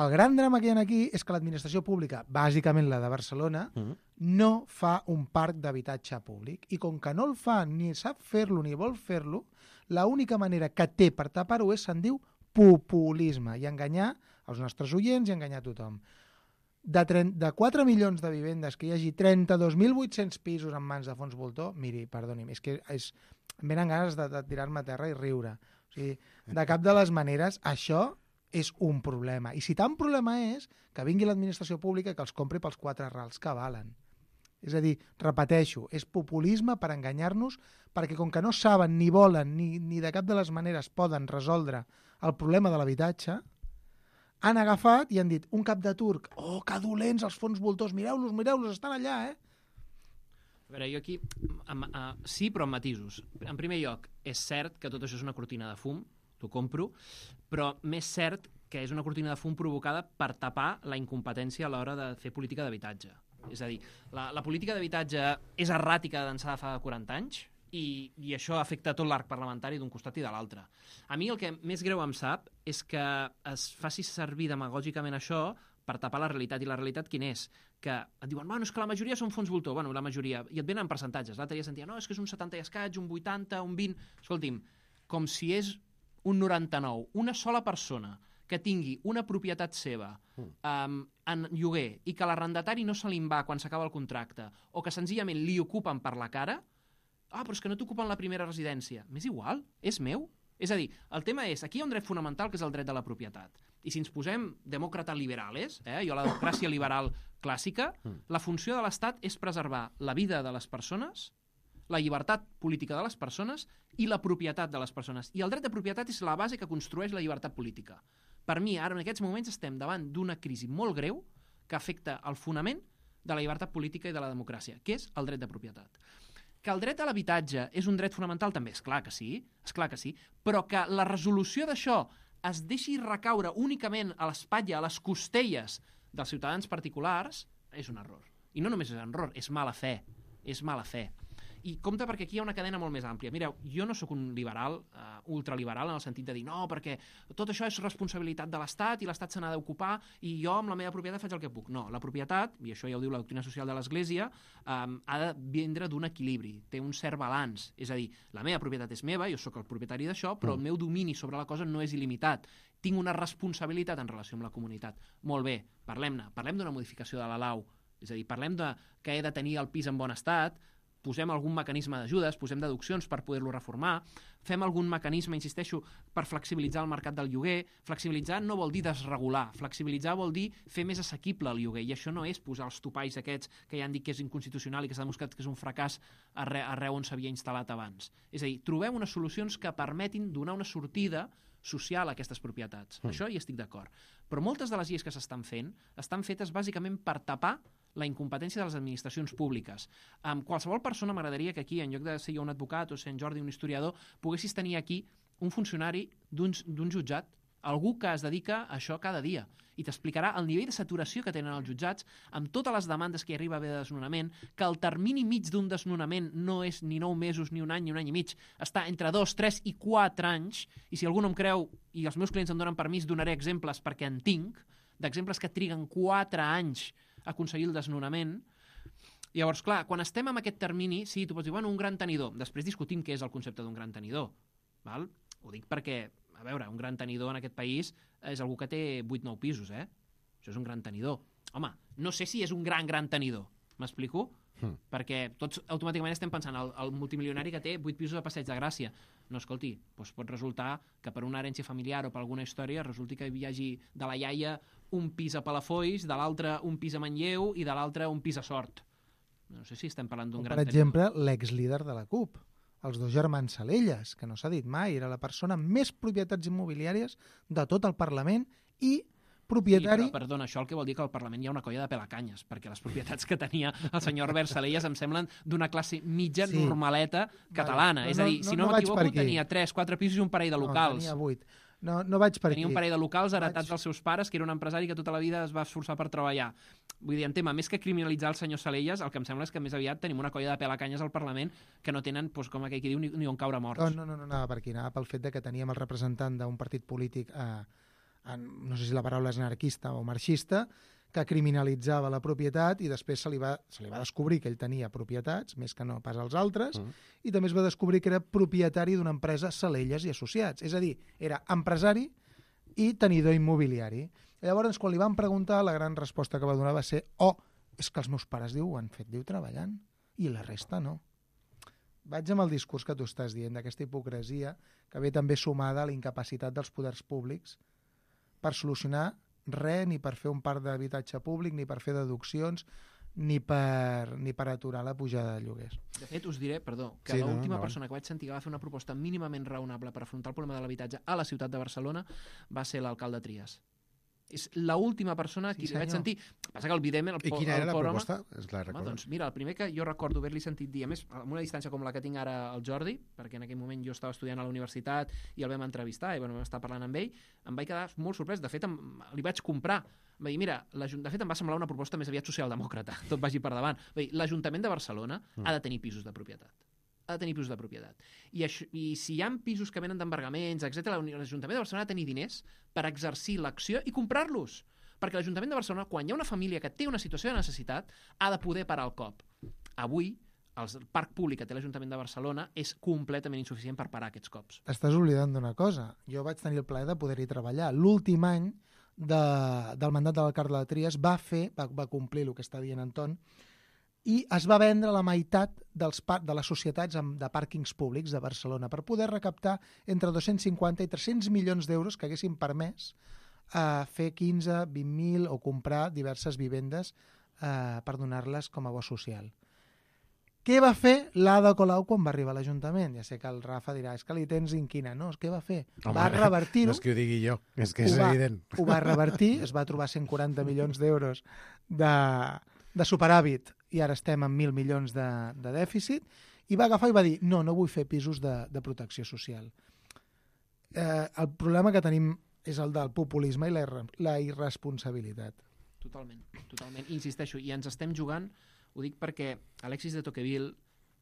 El gran drama que hi ha aquí és que l'administració pública, bàsicament la de Barcelona, mm. no fa un parc d'habitatge públic. I com que no el fa, ni sap fer-lo, ni vol fer-lo, l'única manera que té per tapar-ho és, se'n diu, populisme, i enganyar els nostres oients i enganyar tothom. De, de quatre milions de vivendes que hi hagi trenta-dos mil vuit-cents pisos en mans de fons voltor, miri, perdoni'm, és que és, em venen ganes de, de tirar-me a terra i riure. O sigui, de cap de les maneres, això és un problema. I si tant problema és, que vingui l'administració pública i que els compri pels quatre rals que valen. És a dir, repeteixo, és populisme per enganyar-nos, perquè com que no saben, ni volen, ni, ni de cap de les maneres poden resoldre el problema de l'habitatge, han agafat i han dit, un cap de turc, oh, que dolents els fons voltors, mireu-los, mireu-los, estan allà, eh? A veure, jo aquí, amb, uh, sí, però amb matisos. En primer lloc, és cert que tot això és una cortina de fum, t'ho compro, però més cert que és una cortina de fum provocada per tapar la incompetència a l'hora de fer política d'habitatge. És a dir, la, la política d'habitatge és erràtica d'ençà de fa quaranta anys i, i això afecta tot l'arc parlamentari d'un costat i de l'altre. A mi el que més greu em sap és que es faci servir demagògicament això per tapar la realitat. I la realitat quina és? Que et diuen, bueno, és que la majoria són fons voltor. Bueno, la majoria. I et venen en percentatges. L'altre dia sentia, no, és que és un setanta i escaig, un vuitanta, un vint... Escolti'm, com si és un noranta-nou. Una sola persona que tingui una propietat seva um, en lloguer i que l'arrendatari no se li va quan s'acaba el contracte o que senzillament li ocupen per la cara, ah, però és que no t'ocupen la primera residència. M'és igual, és meu. És a dir, el tema és, aquí hi ha un dret fonamental que és el dret de la propietat. I si ens posem demòcrates liberales, eh, jo la democràcia liberal clàssica, la funció de l'Estat és preservar la vida de les persones, la llibertat política de les persones i la propietat de les persones. I el dret de propietat és la base que construeix la llibertat política. Per mi, ara en aquests moments estem davant d'una crisi molt greu que afecta el fonament de la llibertat política i de la democràcia, que és el dret de propietat. Que el dret a l'habitatge és un dret fonamental també, és clar que sí, és clar que sí, però que la resolució d'això es deixi recaure únicament a l'espatlla, a les costelles dels ciutadans particulars, és un error. I no només és un error, és mala fe, és mala fe. I compte perquè aquí hi ha una cadena molt més àmplia. Mireu, jo no sóc un liberal, uh, ultraliberal, en el sentit de dir no, perquè tot això és responsabilitat de l'Estat i l'Estat se n'ha d'ocupar i jo amb la meva propietat faig el que puc. No, la propietat, i això ja ho diu la doctrina social de l'Església, um, ha de vindre d'un equilibri, té un cert balanç. És a dir, la meva propietat és meva, jo sóc el propietari d'això, però el meu domini sobre la cosa no és il·limitat. Tinc una responsabilitat en relació amb la comunitat. Molt bé, parlem-ne. Parlem d'una modificació de la lau. És a dir, parlem de que he de tenir el pis en bon estat, posem algun mecanisme d'ajudes, posem deduccions per poder-lo reformar, fem algun mecanisme, insisteixo, per flexibilitzar el mercat del lloguer. Flexibilitzar no vol dir desregular, flexibilitzar vol dir fer més assequible el lloguer, i això no és posar els topalls aquests que ja han dit que és inconstitucional i que s'ha demostrat que és un fracàs arreu, arreu on s'havia instal·lat abans. És a dir, trobem unes solucions que permetin donar una sortida social a aquestes propietats. Mm. Això hi estic d'acord. Però moltes de les lleis que s'estan fent estan fetes bàsicament per tapar la incompetència de les administracions públiques. Um, qualsevol persona m'agradaria que aquí, en lloc de ser jo un advocat o ser en Jordi un historiador, poguessis tenir aquí un funcionari d'un jutjat, algú que es dedica a això cada dia i t'explicarà el nivell de saturació que tenen els jutjats amb totes les demandes que hi arriba a haver de desnonament, que el termini mig d'un desnonament no és ni nou mesos, ni un any, ni un any i mig, està entre dos, tres i quatre anys, i si algú no em creu i els meus clients em donen permís, donaré exemples perquè en tinc, d'exemples que triguen quatre anys a aconseguir el desnonament. Llavors, clar, quan estem en aquest termini, sí, tu pots dir, bueno, un gran tenidor. Després discutim què és el concepte d'un gran tenidor. Val? Ho dic perquè, a veure, un gran tenidor en aquest país és algú que té vuit nou pisos, eh? Això és un gran tenidor. Home, no sé si és un gran, gran tenidor. M'explico? Mm. Perquè tots automàticament estem pensant el, el multimilionari que té vuit pisos a Passeig de Gràcia. No, escolti, doncs pot resultar que per una herència familiar o per alguna història resulti que hi hagi de la iaia un pis a Palafolls, de l'altre un pis a Manlleu i de l'altre un pis a Sort. No sé si estem parlant d'un gran tenidor. Per exemple, l'exlíder de la C U P, els dos germans Salelles, que no s'ha dit mai, era la persona amb més propietats immobiliàries de tot el Parlament i propietari... Sí, però, perdona, això el que vol dir que al Parlament hi ha una colla de pelacanyes, perquè les propietats que tenia el senyor Albert Salelles em semblen d'una classe mitja sí. normaleta catalana. Vale. És a dir, no, si no, no m'equivoco, tenia tres, quatre pisos i un parell de locals. No, tenia vuit. No, no vaig per tenia aquí. un parell de locals heretats vaig... dels seus pares, que era un empresari que tota la vida es va esforçar per treballar. Vull dir, en tema, més que criminalitzar el senyor Salelles, el que em sembla és que més aviat tenim una colla de pelacanyes al Parlament que no tenen, doncs, com aquell que diu, ni, ni on caure morts. No, no, no, no anava per aquí, anava pel fet de que teníem el representant d'un partit polític, eh, en, no sé si la paraula és anarquista o marxista, que criminalitzava la propietat i després se li va, se li va descobrir que ell tenia propietats, més que no pas els altres, mm. i també es va descobrir que era propietari d'una empresa Salelles i Associats. És a dir, era empresari i tenidor immobiliari. Llavors, quan li van preguntar, la gran resposta que va donar va ser oh, és que els meus pares, diu, ho han fet, diu, treballant, i la resta no. Vaig amb el discurs que tu estàs dient, d'aquesta hipocresia, que ve també sumada a la incapacitat dels poders públics per solucionar res, ni per fer un parc d'habitatge públic, ni per fer deduccions, ni per, ni per aturar la pujada de lloguers. De fet, us diré, perdó, que sí, l'última no, no. persona que vaig sentir que va fer una proposta mínimament raonable per afrontar el problema de l'habitatge a la ciutat de Barcelona va ser l'alcalde Trias. És l'última persona sí, que li vaig sentir. Passa que el Videm... El, I quina el era la programa, proposta? És la home, doncs mira, el primer que jo recordo haver-li sentit dir, a més, amb una distància com la que tinc ara al Jordi, perquè en aquell moment jo estava estudiant a la universitat i el vam entrevistar i bueno, vam estar parlant amb ell, em vaig quedar molt sorprès. De fet, em, li vaig comprar Va dir, mira, de fet em va semblar una proposta més aviat socialdemòcrata, tot vagi per davant. Va dir, l'Ajuntament de Barcelona mm. ha de tenir pisos de propietat. Ha de tenir pisos de propietat. I, això, i si hi ha pisos que venen d'embargaments, etcètera, l'Ajuntament de Barcelona ha de tenir diners per exercir l'acció i comprar-los. Perquè l'Ajuntament de Barcelona, quan hi ha una família que té una situació de necessitat, ha de poder parar el cop. Avui, el parc públic que té l'Ajuntament de Barcelona és completament insuficient per parar aquests cops. Estàs oblidant d'una cosa. Jo vaig tenir el plaer de poder-hi treballar. L'últim any de, del mandat de l'alcalde de Tries va fer, va, va complir el que està dient Anton, i es va vendre la meitat dels par de les societats de pàrquings públics de Barcelona per poder recaptar entre dos-cents cinquanta i tres-cents milions d'euros que haguessin permès eh, fer quinze, vint mil o comprar diverses vivendes eh, per donar-les com a bo social. Què va fer l'Ada Colau quan va arribar a l'Ajuntament? Ja sé que el Rafa dirà, és que li tens inquina. No, què va fer? Home, va revertir-ho. No és que ho digui jo, és que és va, evident. Ho va revertir, es va trobar cent quaranta milions d'euros de, de superàvit i ara estem en mil milions de, de dèficit, i va agafar i va dir, no, no vull fer pisos de, de protecció social. Eh, el problema que tenim és el del populisme i la, la irresponsabilitat. Totalment, totalment. Insisteixo, i ens estem jugant, ho dic perquè Alexis de Tocqueville,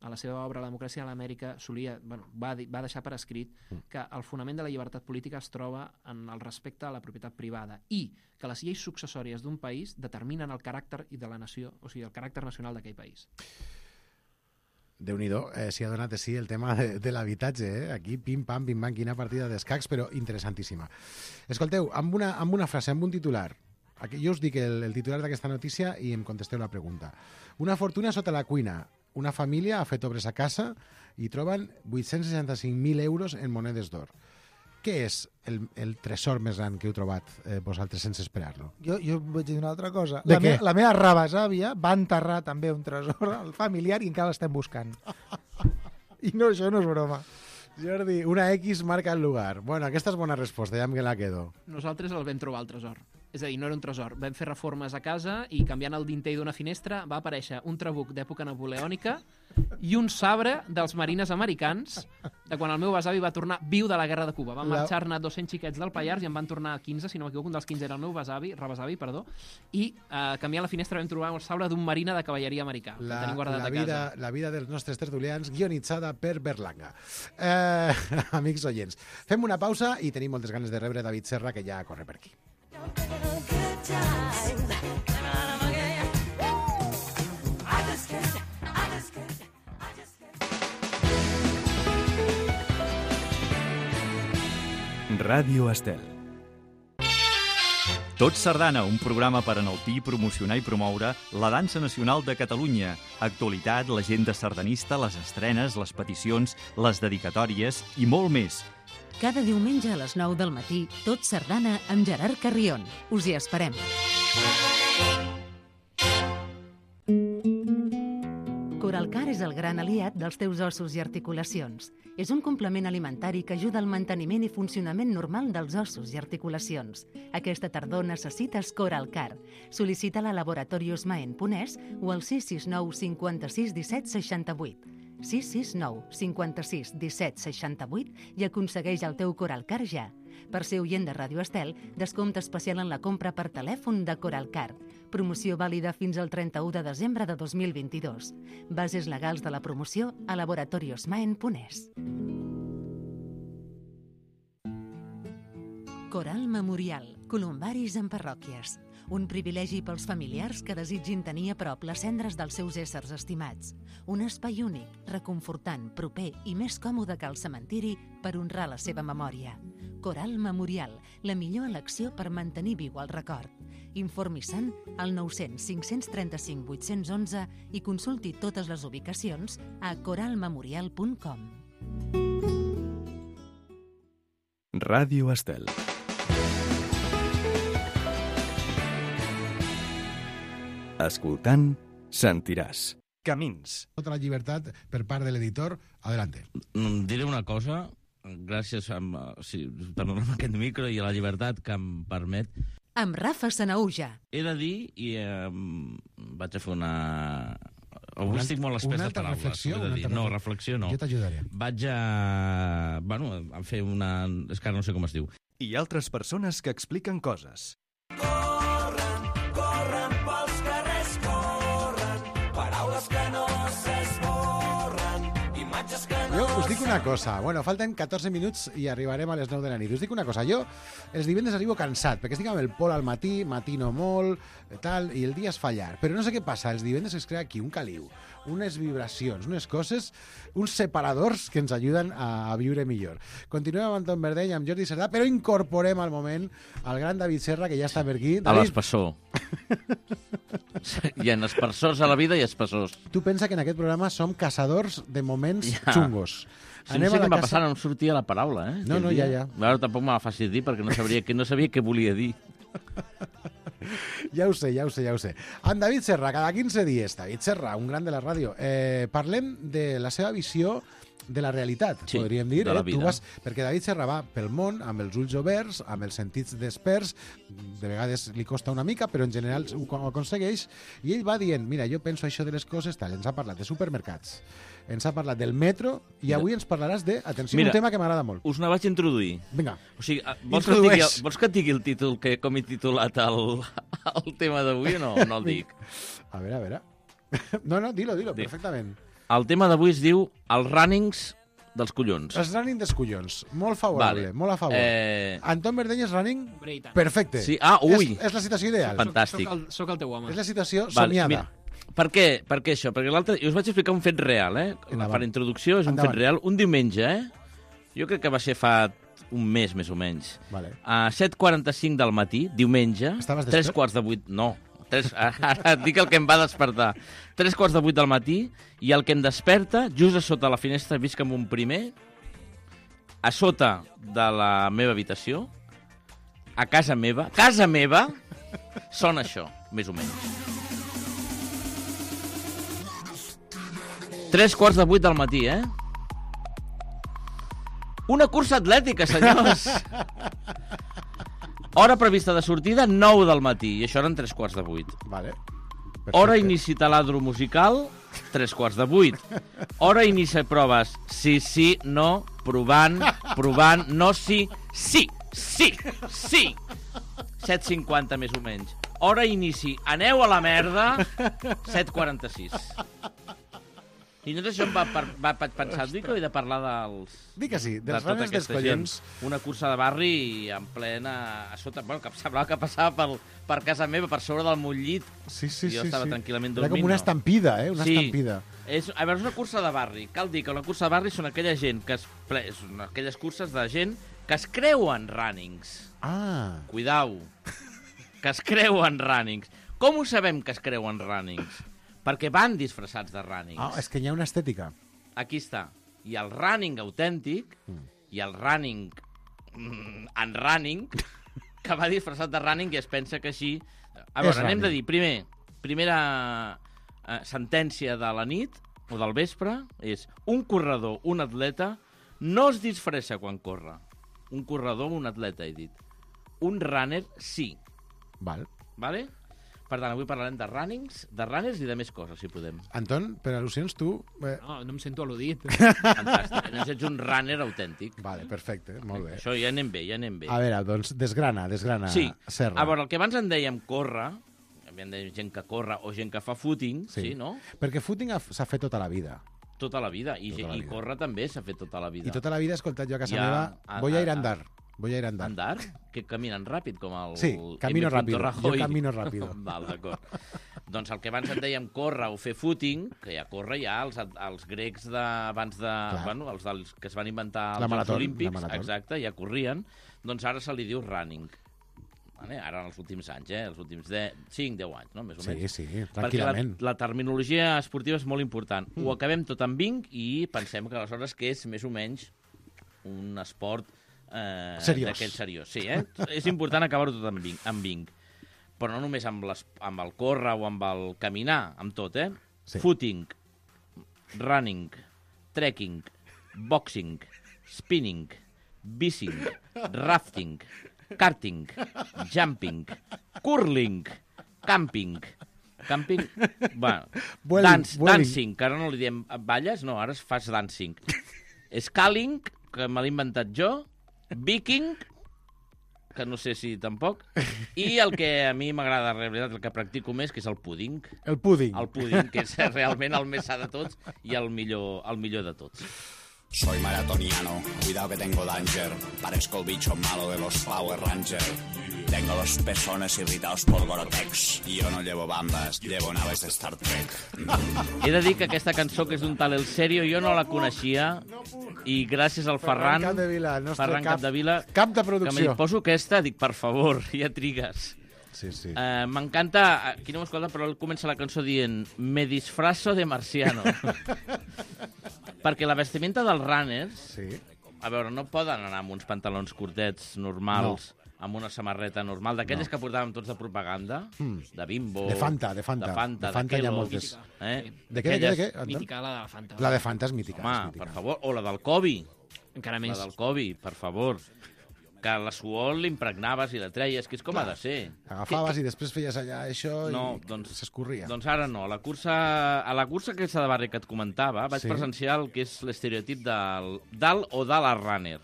a la seva obra La democràcia a l'Amèrica, solia, bueno, va, va deixar per escrit que el fonament de la llibertat política es troba en el respecte a la propietat privada i que les lleis successòries d'un país determinen el caràcter de la nació, o sigui, el caràcter nacional d'aquell país. Déu-n'hi-do, eh, s'hi ha donat de sí el tema de, de l'habitatge, eh? Aquí pim-pam, pim-pam, quina partida d'escacs, però interessantíssima. Escolteu, amb una, amb una frase, amb un titular, aquí, jo us dic el, el titular d'aquesta notícia i em contesteu la pregunta. Una fortuna sota la cuina. Una família ha fet obres a casa i troben vuit-cents seixanta-cinc mil euros en monedes d'or. Què és el, el tresor més gran que heu trobat eh, vosaltres sense esperar-lo? Jo, jo vaig dir una altra cosa. De la, què? me, la meva rebesàvia va enterrar també un tresor al familiar i encara l'estem buscant. I no, això no és broma. Jordi, una X marca el lugar. Bueno, aquesta és bona resposta, ja em la quedo. Nosaltres el vam trobar el tresor. És a dir, no era un tresor. Vam fer reformes a casa i canviant el dinter d'una finestra va aparèixer un trabuc d'època napoleònica i un sabre dels marines americans de quan el meu besavi va tornar viu de la guerra de Cuba. Van La- marxar-ne dos-cents xiquets del Pallars i en van tornar quinze, si no m'equivoco, un dels quinze era el meu besavi, rebesavi, perdó, i eh, canviant la finestra vam trobar el sabre d'un marina de cavalleria americà. La, que tenim guardat la, a vida, casa. la vida dels nostres tertulians guionitzada per Berlanga. Eh, amics oients, fem una pausa i tenim moltes ganes de rebre David Serra, que ja corre per aquí. Ràdio Estel. Tot Sardana, un programa per enaltir, promocionar i promoure la dansa nacional de Catalunya. Actualitat, l'agenda sardanista, les estrenes, les peticions, les dedicatòries i molt més. Cada diumenge a les nou del matí, Tot Sardana amb Gerard Carrion. Us hi esperem. Coralcar és el gran aliat dels teus ossos i articulacions. És un complement alimentari que ajuda al manteniment i funcionament normal dels ossos i articulacions. Aquesta tardor necessites Coralcar. Sol·licita-la a Laboratorios Maen Ponès o al sis sis nou cinquanta-sis disset seixanta-vuit. sis sis nou cinquanta-sis disset seixanta-vuit i aconsegueix el teu Coralcar ja. Per ser oient de Ràdio Estel, descompte especial en la compra per telèfon de Coralcar. Promoció vàlida fins al trenta-u de desembre de dos mil vint-i-dos. Bases legals de la promoció a Laboratorios Maen Ponès. Coral Memorial. Columbaris en parròquies. Un privilegi pels familiars que desitgin tenir a prop les cendres dels seus éssers estimats. Un espai únic, reconfortant, proper i més còmode que el cementiri per honrar la seva memòria. Coral Memorial, la millor elecció per mantenir viu el record. Informi-se'n al nou cents cinc cents trenta-cinc vuit cents onze i consulti totes les ubicacions a coral memorial punt com. Ràdio Estel. Escoltant, sentiràs. Camins. Tota la llibertat per part de l'editor. Adelante. Diré una cosa, gràcies a, sí, per donar-me aquest micro i a la llibertat que em permet. Amb Rafa Sanaúja. He de dir, i eh, vaig a fer una... Avui Una- estic molt espès una de altra paraules. reflexió, ho he de una dir. altra No, reflexió. reflexió no. Jo t'ajudaré. Vaig a... Bueno, a fer una... És que ara no sé com es diu. I altres persones que expliquen coses. Corre, dic una cosa. Bueno, falten catorze minuts i arribarem a les nou de la nit. Us dic una cosa. Jo els divendres arribo cansat, perquè estic amb el Pol al matí, matino molt, tal, i el dia es fa llarg. Però no sé què passa. Els divendres es crea aquí un caliu, unes vibracions, unes coses, uns separadors que ens ajuden a, a viure millor. Continuem amb Anton Verdeny, amb Jordi Cerdà, però incorporem al moment al gran David Serra, que ja està per aquí. A l'espessor. Hi ha espessors a la vida i espessors. Tu pensa que en aquest programa som caçadors de moments Ja. xungos. Sí, no sé què em va passar, no em sortia la paraula, eh? No, no, ja, ja. Ara tampoc me la facis dir, perquè no sabria, que no sabia què volia dir. Ja ho sé, ja ho sé, ja ho sé. Amb David Serra, cada quinze dies. David Serra, un gran de la ràdio. Eh, parlem de la seva visió de la realitat, Sí, podríem dir. de la eh? Tu vida. vas, perquè David Serra va pel món amb els ulls oberts, amb els sentits desperts, de vegades li costa una mica, però en general ho ho aconsegueix, i ell va dient, mira, jo penso això de les coses, tal, ens ha parlat de supermercats, ens ha parlat del metro, i avui ens parlaràs de, atenció, Mira, un tema que m'agrada molt. Us ne vaig introduir. Vinga, O sigui, eh, vols que, et introdueix. digui, el- vols que et digui el títol, que, com he titulat el, el tema d'avui o no? No el dic. A veure, a veure. No, no, dilo, dilo, Dic. perfectament. El tema d'avui es diu els runnings dels collons. Els running dels collons. Molt favorable, Vale. molt a favor. Eh, Anton Verdeny és running Hombre, i tant. perfecte. Sí, ah, ui. És, és la situació ideal. Fantàstic. Soc el, soc el teu home. És la situació Val, somiada. mira, per què? Per què això? Perquè l'altre... Jo us vaig explicar un fet real, eh? Endavant. Per introducció és un Endavant. fet real. Un diumenge, eh? Jo crec que va ser fa un mes, més o menys. Vale. A set quaranta-cinc del matí, diumenge, Estaves tres despert? quarts de vuit... No, tres, ara et dic el que em va despertar. Tres quarts de vuit del matí, i el que em desperta, just a sota la finestra, visc amb un primer, a sota de la meva habitació, a casa meva, casa meva, sona això, més o menys. Tres quarts de vuit del matí, eh? Una cursa atlètica, senyors! Hora prevista de sortida, nou del matí, i això eren tres quarts de vuit. Vale. Hora inici taladro musical, tres quarts de vuit. Hora inici proves, sí, sí, no, provant, provant, no, sí, sí, sí, sí. set cinquanta més o menys. Hora inici, aneu a la merda, set quaranta-sis. I llavors això em va, per, va pensar, dic que he de parlar dels... Dic que sí, de dels tota runners dels aquesta gent. collons. Una cursa de barri en plena... A sota, bueno, que semblava que passava per, per casa meva, per sobre del meu llit. Sí, sí, jo sí. estava sí. tranquil·lament Era dormint. com una no. estampida, eh? Una sí. estampida. És, a veure, és una cursa de barri. Cal dir que una cursa de barri són aquella gent que es... ple- són aquelles curses de gent que es creuen runnings. Ah. Cuidau. Que es creuen runnings. Com ho sabem que es creuen runnings? Perquè van disfressats de runnings. Ah, és que hi ha una estètica. Aquí està. Hi ha el running autèntic Mm. i el running mm, en running que va disfressat de running i es pensa que així... A És veure, anem running. de dir, primer, primera eh, sentència de la nit o del vespre és un corredor, un atleta, no es disfressa quan corre. Un corredor, un atleta, he dit. Un runner, sí. Val. Vale? Per tant, avui parlarem de runnings, de runners i de més coses, si podem. Anton, per al·lusions, tu... Eh... No, no em sento al·ludit. Fantàstic. Llavors ets un runner autèntic. Vale, perfecte, molt bé. Això ja anem bé, ja anem bé. A veure, doncs, desgrana, desgrana, Sí, Serra. a veure, el que abans en dèiem córrer, en dèiem gent que corre o gent que fa footing, sí, sí no? Perquè footing ha- s'ha fet tota la vida. Tota la vida. I, Tota la i vida. córrer també s'ha fet tota la vida. I tota la vida he escoltat jo a casa Ja, meva, a- voy a ir a- a andar. Voy a ir a andar. Andar? Que caminen ràpid, com el... Sí, camino M. rápido. Rajoy. Jo camino rápido. Val, d'acord. Doncs el que abans en dèiem córrer o fer footing, que ja corre ja els, els grecs de, abans de... Clar. Bueno, els dels, que es van inventar La els marató, Jocs la Olímpics, marató. exacte, ja corrien, doncs ara se li diu running. Vale? Ara en els últims anys, eh? Els últims cinc deu anys, no? Més o Sí, menys. sí, Perquè tranquil·lament. la, la terminologia esportiva és molt important. Mm. Ho acabem tot amb vinc i pensem que aleshores que és més o menys un esport eh, Seriós. d'aquest seriós. Sí, eh? És important acabar-ho tot amb vinc, amb vinc. Però no només amb, les, amb el córrer o amb el caminar, amb tot, eh? Sí. Footing, running, trekking, boxing, spinning, bicing, rafting, karting, jumping, curling, camping, camping, bueno, Vueling, dance, vueling. dancing, que ara no li diem balles, no, ara es fas dancing. Scaling, que me l'he inventat jo, viking, que no sé si tampoc, i el que a mi m'agrada, en realitat, el que practico més, que és el pudding. El pudding. El pudding, que és realment el més sa de tots i el millor, el millor de tots. Soy maratoniano, cuidado que tengo danger. Parezco el bicho malo de los Power Rangers. Tengo los pezones irritados por Gorotex. Y yo no llevo bambas, llevo naves de Star Trek. He de dir que aquesta cançó, que és d'un tal El Serio, jo no la coneixia. I gràcies al Ferran... Ferran Capdevila, el nostre Ferran cap, Capdevila, cap de producció. Que me poso aquesta, dic, per favor, ja trigues. Sí, sí. Uh, M'encanta, aquí no m'escolta, però ell comença la cançó dient me disfrazo de marciano. Perquè la vestimenta dels runners, sí. A veure, no poden anar amb uns pantalons curtets normals, no. Amb una samarreta normal, d'aquelles no. Que portàvem tots de propaganda, mm. de Bimbo... De Fanta, de Fanta. De Fanta, de Fanta de hi ha moltes. Eh? De què, de què, de què? Mítica, la de la Fanta. La de Fanta és mítica. Home, és mítica. Per favor, o la del Kobe. Encara més. La del Kobe, per favor. Que la suor l'impregnaves i la treies, que és com Clar. Ha de ser. Agafaves i després feies allà això no, i doncs, s'escorria. Doncs ara no. La cursa, a la cursa aquesta de barri que et comentava vaig sí. presenciar el que és l'estereotip del, del o de la runner.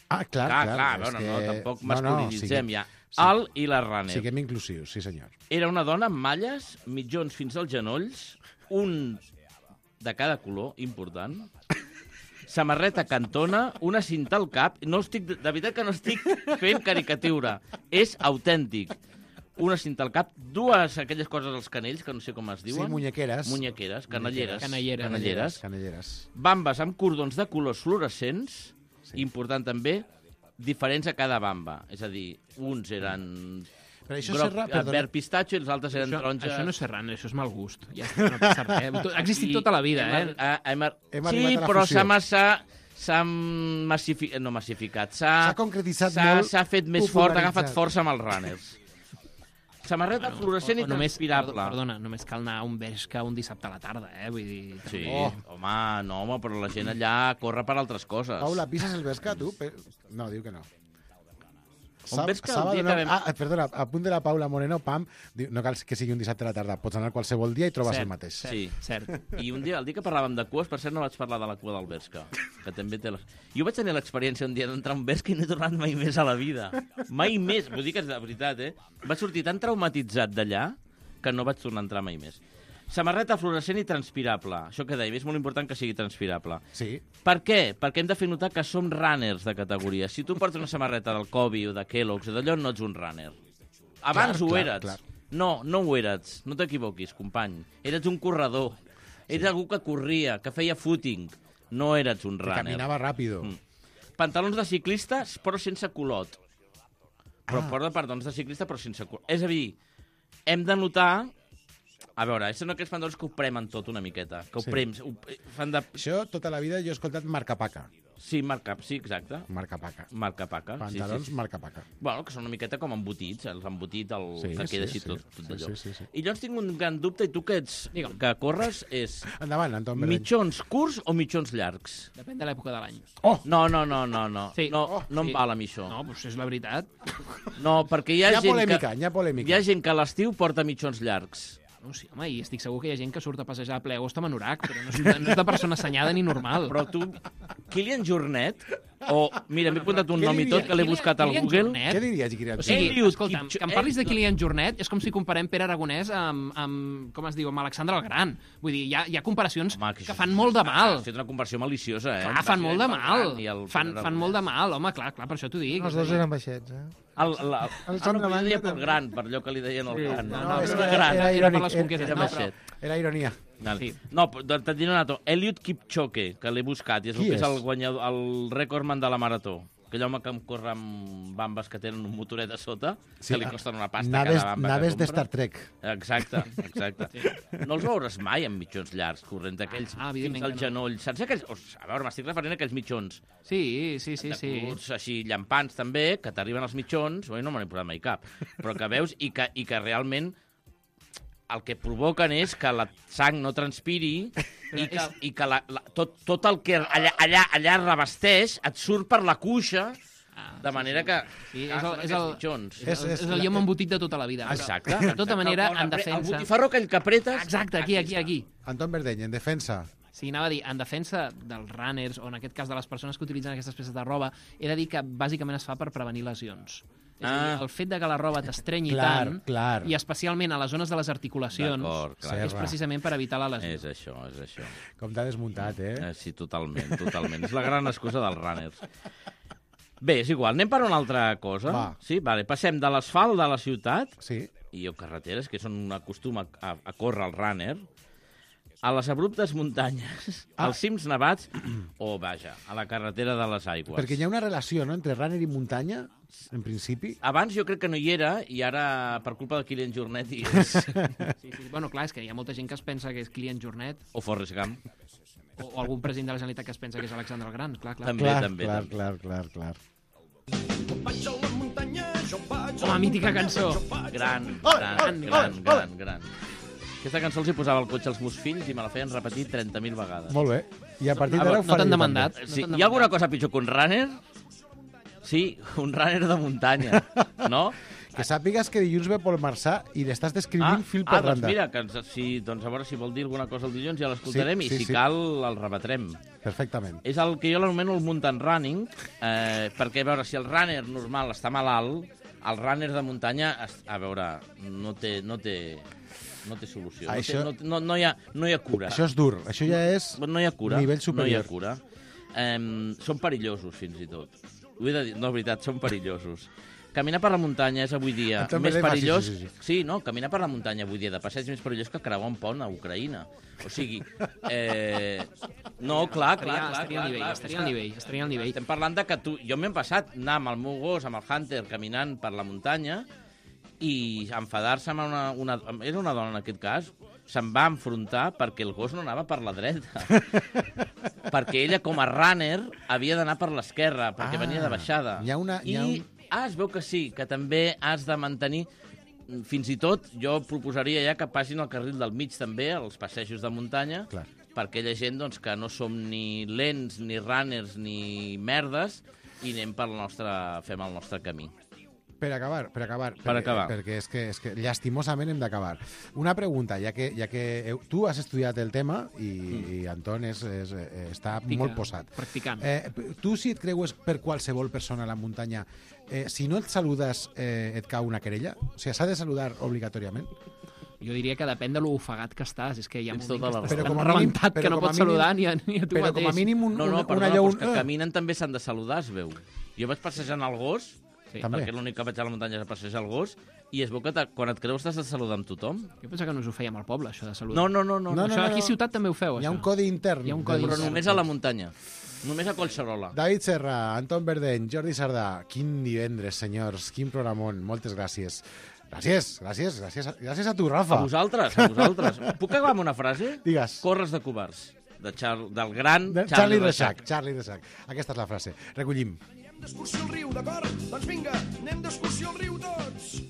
Ah, clar, clar. clar. clar bueno, que... no, tampoc no, masculinitzem no, ja. Sí. El i la runner. Siguem inclusius, sí senyor. Era una dona amb malles, mitjons fins als genolls, un de cada color, important, samarreta cantona, una cinta al cap... No estic, de veritat que no estic fent caricatura. És autèntic. Una cinta al cap, dues aquelles coses als canells, que no sé com es diuen. Sí, muñequeres. Muñequeres, canelleres. Canelleres. Canelleres. Canelleres. Bambes amb cordons de colors fluorescents, sí. Important també, diferents a cada bamba. És a dir, uns eren... Però això groc, serra, verd pistatxo i els altres eren això, taronja... Això no és serrant, això és mal gust. Ja està, no passa res. Ha existit tota la vida, hem, eh? Hem, hem, hem sí, però s'ha massa... S'ha massificat... No massificat. S'ha concretitzat molt. S'ha fet més fort, ha agafat força amb els runners. Samarreta bueno, fluorescent i només, transpirable. Perdona, només cal anar a un Bershka un dissabte a la tarda, eh? Vull dir... Sí, oh. home, no, home, però la gent allà corre per altres coses. Paula, pises el Bershka, tu? No, diu que no. Un Bershka, Sábado, un dia no, que vam... ah, perdona, a punt de la Paula Moreno, pam, diu, no cal que sigui un dissabte a la tarda, pots anar qualsevol dia i trobes cert, el mateix. Sí, cert. I un dia, el dia que parlàvem de cues, per cert no vaig parlar de la cua del Bershka, que també té les... Jo vaig tenir l'experiència un dia d'entrar a un Bershka i no he tornat mai més a la vida. Mai més, vull dir que és de veritat, eh? Vaig sortir tan traumatitzat d'allà que no vaig tornar a entrar mai més. Samarreta fluorescent i transpirable. Això que dèiem, és molt important que sigui transpirable. Sí. Per què? Perquè hem de fer notar que som runners de categoria. Si tu portes una samarreta del Kobe o de Kellogg's o d'allò, no ets un runner. Abans clar, ho clar, eres. Clar. No, no ho eres. No t'equivoquis, company. Eres un corredor. Sí. Eres algú que corria, que feia footing. No eres un runner. Que caminava ràpido. Mm. Pantalons de ciclistes, però sense culot. Però ah. porta pantalons de ciclista, però sense culot. És a dir, hem de notar... A veure, això no que els pantalons que ho premen tot una miqueta, que ho sí. prems... Ho, fan de... Això tota la vida jo he escoltat marca-paca. Sí, marca, sí, exacte. Marca-paca. Marca-paca. Pantalons sí, sí. marca-paca. Bueno, que són una miqueta com embotits, els embotit, el sí, que queda sí, així sí, tot, tot allò. Sí, sí, sí. I llavors tinc un gran dubte, i tu que ets, Digue'm. que corres, és... Endavant, Anton Berleny. Mitjons curts o mitjons llargs? Depèn de l'època de l'any. Oh! No, no, no, no, no. Sí. No, oh, no sí. em val a mi això. No, doncs és la veritat. No, perquè hi ha, hi ha gent polèmica, que... Hi ha polèmica. Hi ha gent que a l'estiu porta mitjons llargs. No, sí, home, i estic segur que hi ha gent que surt a passejar a ple agost amb anorac, però no és, de, no és de persona assenyada ni normal. Però tu, Kilian Jornet, o, mira, m'he apuntat un nom i tot, que l'he buscat al Google. Jornet? Què diries, Kilian Jornet? O sigui, Eliud escolta'm, que em parlis de Kilian Jornet és com si comparem Pere Aragonès amb, amb com es diu, amb Alexandre el Gran. Vull dir, hi ha, hi ha comparacions home, que, que fan molt de mal. Has fet una comparació maliciosa, eh? Clar, fan molt de mal. Fan, fan molt de mal, home, clar, clar, per això t'ho dic. Els dos eren baixets, eh? El, la, el, el no, deia pel gran, per allò que li deien el sí, gran. No, no, no, era, gran. Era, era, irònic, era, era, era, era ironia. Sí. No, te'n diré un altre. Eliud Kipchoge, que l'he buscat, i és, el, que és el, guanyador, el recordman de la marató. Aquell home que em corre amb bambes que tenen un motoret a sota, sí, que li costen una pasta naves, cada bamba naves que de Star Trek. Exacte, exacte. Sí. No els veuràs mai amb mitjons llargs, corrent aquells ah, fins al genoll. Saps aquells... A veure, m'estic referint a aquells mitjons. Sí, sí, sí. sí. Curts, així llampants també, que t'arriben els mitjons, oi, no me n'he posat mai cap, però que veus i que, i que realment el que provoquen és que la sang no transpiri i que, i que la, la, tot, tot el que allà, allà, allà revesteix et surt per la cuixa, de manera que... Sí, és, el, és, el, mitjons. és, és, és el llom embotit de tota la vida. Exacte. De tota manera, en defensa... El botifarro aquell que apretes... Exacte, aquí, aquí, aquí. Anton Berleny, en defensa... Sí, anava a dir, en defensa dels runners, o en aquest cas de les persones que utilitzen aquestes peces de roba, he de dir que bàsicament es fa per prevenir lesions. És a dir, el fet de que la roba t'estrenyi Clar, tant, clar. i especialment a les zones de les articulacions, D'acord, clar. és precisament per evitar la lesió. És això, és això. Com t'ha desmuntat, eh? eh? Sí, totalment, totalment. És la gran excusa dels runners. Bé, és igual, anem per una altra cosa. Va. Sí, vale. Passem de l'asfalt de la ciutat sí. i o carreteres, que són un costum a, a, a córrer el runner, a les abruptes muntanyes, ah. als cims nevats o, vaja, a la carretera de les aigües. Perquè hi ha una relació, no?, entre runner i muntanya, en principi. Abans jo crec que no hi era, i ara, per culpa de Kilian Jornet... I és... sí, sí. Bueno, clar, és que hi ha molta gent que es pensa que és Kilian Jornet. O Forrest Gump. O, o algun president de la Generalitat que es pensa que és Alexandre el Gran, clar, clar. També, clar, també. Clar, també. clar, clar, clar. Home, mítica cançó. Gran, gran, gran, gran, gran. Aquesta cançó els hi posava al cotxe als meus fills i me la feien repetir trenta mil vegades. Molt bé. I a partir Ah, d'ara ho no faré t'han jo demandat? també. Sí, hi ha alguna cosa pitjor que un runner? Sí, un runner de muntanya, no? Que sàpigues que dilluns ve Pol Marçà i l'estàs descrivint Ah, fil per ah doncs randa. mira, que ens, si, doncs a veure si vol dir alguna cosa el dilluns ja l'escoltarem Sí, i sí, si sí. cal el rebatrem. Perfectament. És el que jo l'anomeno el mountain running, eh, perquè a veure, si el runner normal està malalt, el runner de muntanya, a veure, no té, no té, no té solució. Això... No, té, no, no, hi ha, no hi ha cura. Això és dur. Això ja és no hi ha cura, nivell superior. No hi ha cura. Eh, són perillosos, fins i tot. Ho he de dir, no, és veritat, són perillosos. Caminar per la muntanya és avui dia També més fa, perillós... sí, sí, sí. sí, no, caminar per la muntanya avui dia de passeig és més perillós que creuar un pont a Ucraïna. O sigui, eh... no, clar, clar, clar. Estaria al nivell, estaria al nivell, estaria al nivell. Estem parlant de que tu... Jo m'he passat anar amb el meu gos, amb el Hunter, caminant per la muntanya i enfadar-se amb una, una... Era una dona en aquest cas, se'n va enfrontar perquè el gos no anava per la dreta. Perquè ella, com a runner, havia d'anar per l'esquerra, perquè Ah, venia de baixada. hi ha una- hi ha I, un- ah, es veu que sí, que també has de mantenir... Fins i tot, jo proposaria ja que passin al carril del mig també, als passejos de muntanya, Clar. per aquella gent doncs, que no som ni lents, ni runners, ni merdes, i anem pel nostre, fem el nostre camí. Per acabar, per acabar. Per perquè, acabar. Perquè és que, és que llastimosament hem d'acabar. Una pregunta, ja que, ja que heu, tu has estudiat el tema i, mm. i Anton és, és, eh, està Practica, molt posat. practicant. Eh, tu, si et creues per qualsevol persona a la muntanya, eh, si no et saludes, eh, et cau una querella? O sigui, s'ha de saludar obligatòriament? Jo diria que depèn de l'ofegat que estàs. És que hi ha Tens moment tota que la estàs raó. tan com a mínim- rebentat però que no com a pots mínim- saludar ni a, ni a tu però mateix. com a mínim un, No, no, una, perdona, una però lleu... és que caminen també s'han de saludar, es veu. Jo vaig passejant el gos, Sí. També. perquè l'únic que vaig a la muntanya és a passejar el gos, i es veu que te, quan et creus t'has de saludar amb tothom. Jo pensava que no us ho fèiem al poble, això de saludar. No, no, no. no, No, no, Això no, aquí a no. ciutat també ho feu, Hi ha això. un codi intern. Hi ha un codi del- Però intern. només a la muntanya. Només a Collserola. David Serra, Anton Verdeny, Jordi Sardà, quin divendres, senyors, quin programón, moltes gràcies. Gràcies, gràcies, gràcies, a- gràcies a tu, Rafa. A vosaltres, a vosaltres. Puc acabar amb una frase? Digues. Corres de covards. De Char del gran De Charlie, Charlie Reixac. Reixac. Charlie Reixac. Aquesta és la frase. Recollim. D'excursió al riu, d'acord? Doncs vinga, anem d'excursió al riu tots!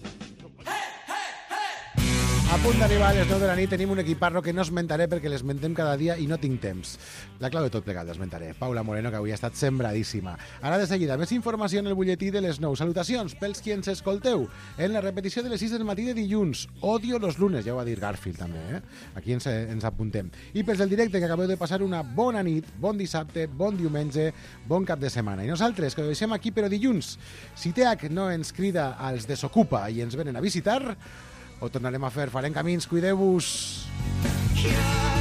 A punt d'arribar a les nou de la nit tenim un equiparro que no esmentaré perquè l'esmentem cada dia i no tinc temps. La clau de tot plegat l'esmentaré. Paula Moreno, que avui ha estat sembradíssima. Ara de seguida, més informació en el butlletí de les nou. Salutacions pels qui ens escolteu. En la repetició de les sis del matí de dilluns. Odio los lunes, ja ho va dir Garfield també, eh? Aquí ens, ens apuntem. I pels del directe, que acabeu de passar una bona nit, bon dissabte, bon diumenge, bon cap de setmana. I nosaltres, que ho deixem aquí però dilluns. Si T H no ens crida als Desocupa i ens venen a visitar, ho tornarem a fer, farem camins, cuideu-vos. Yeah.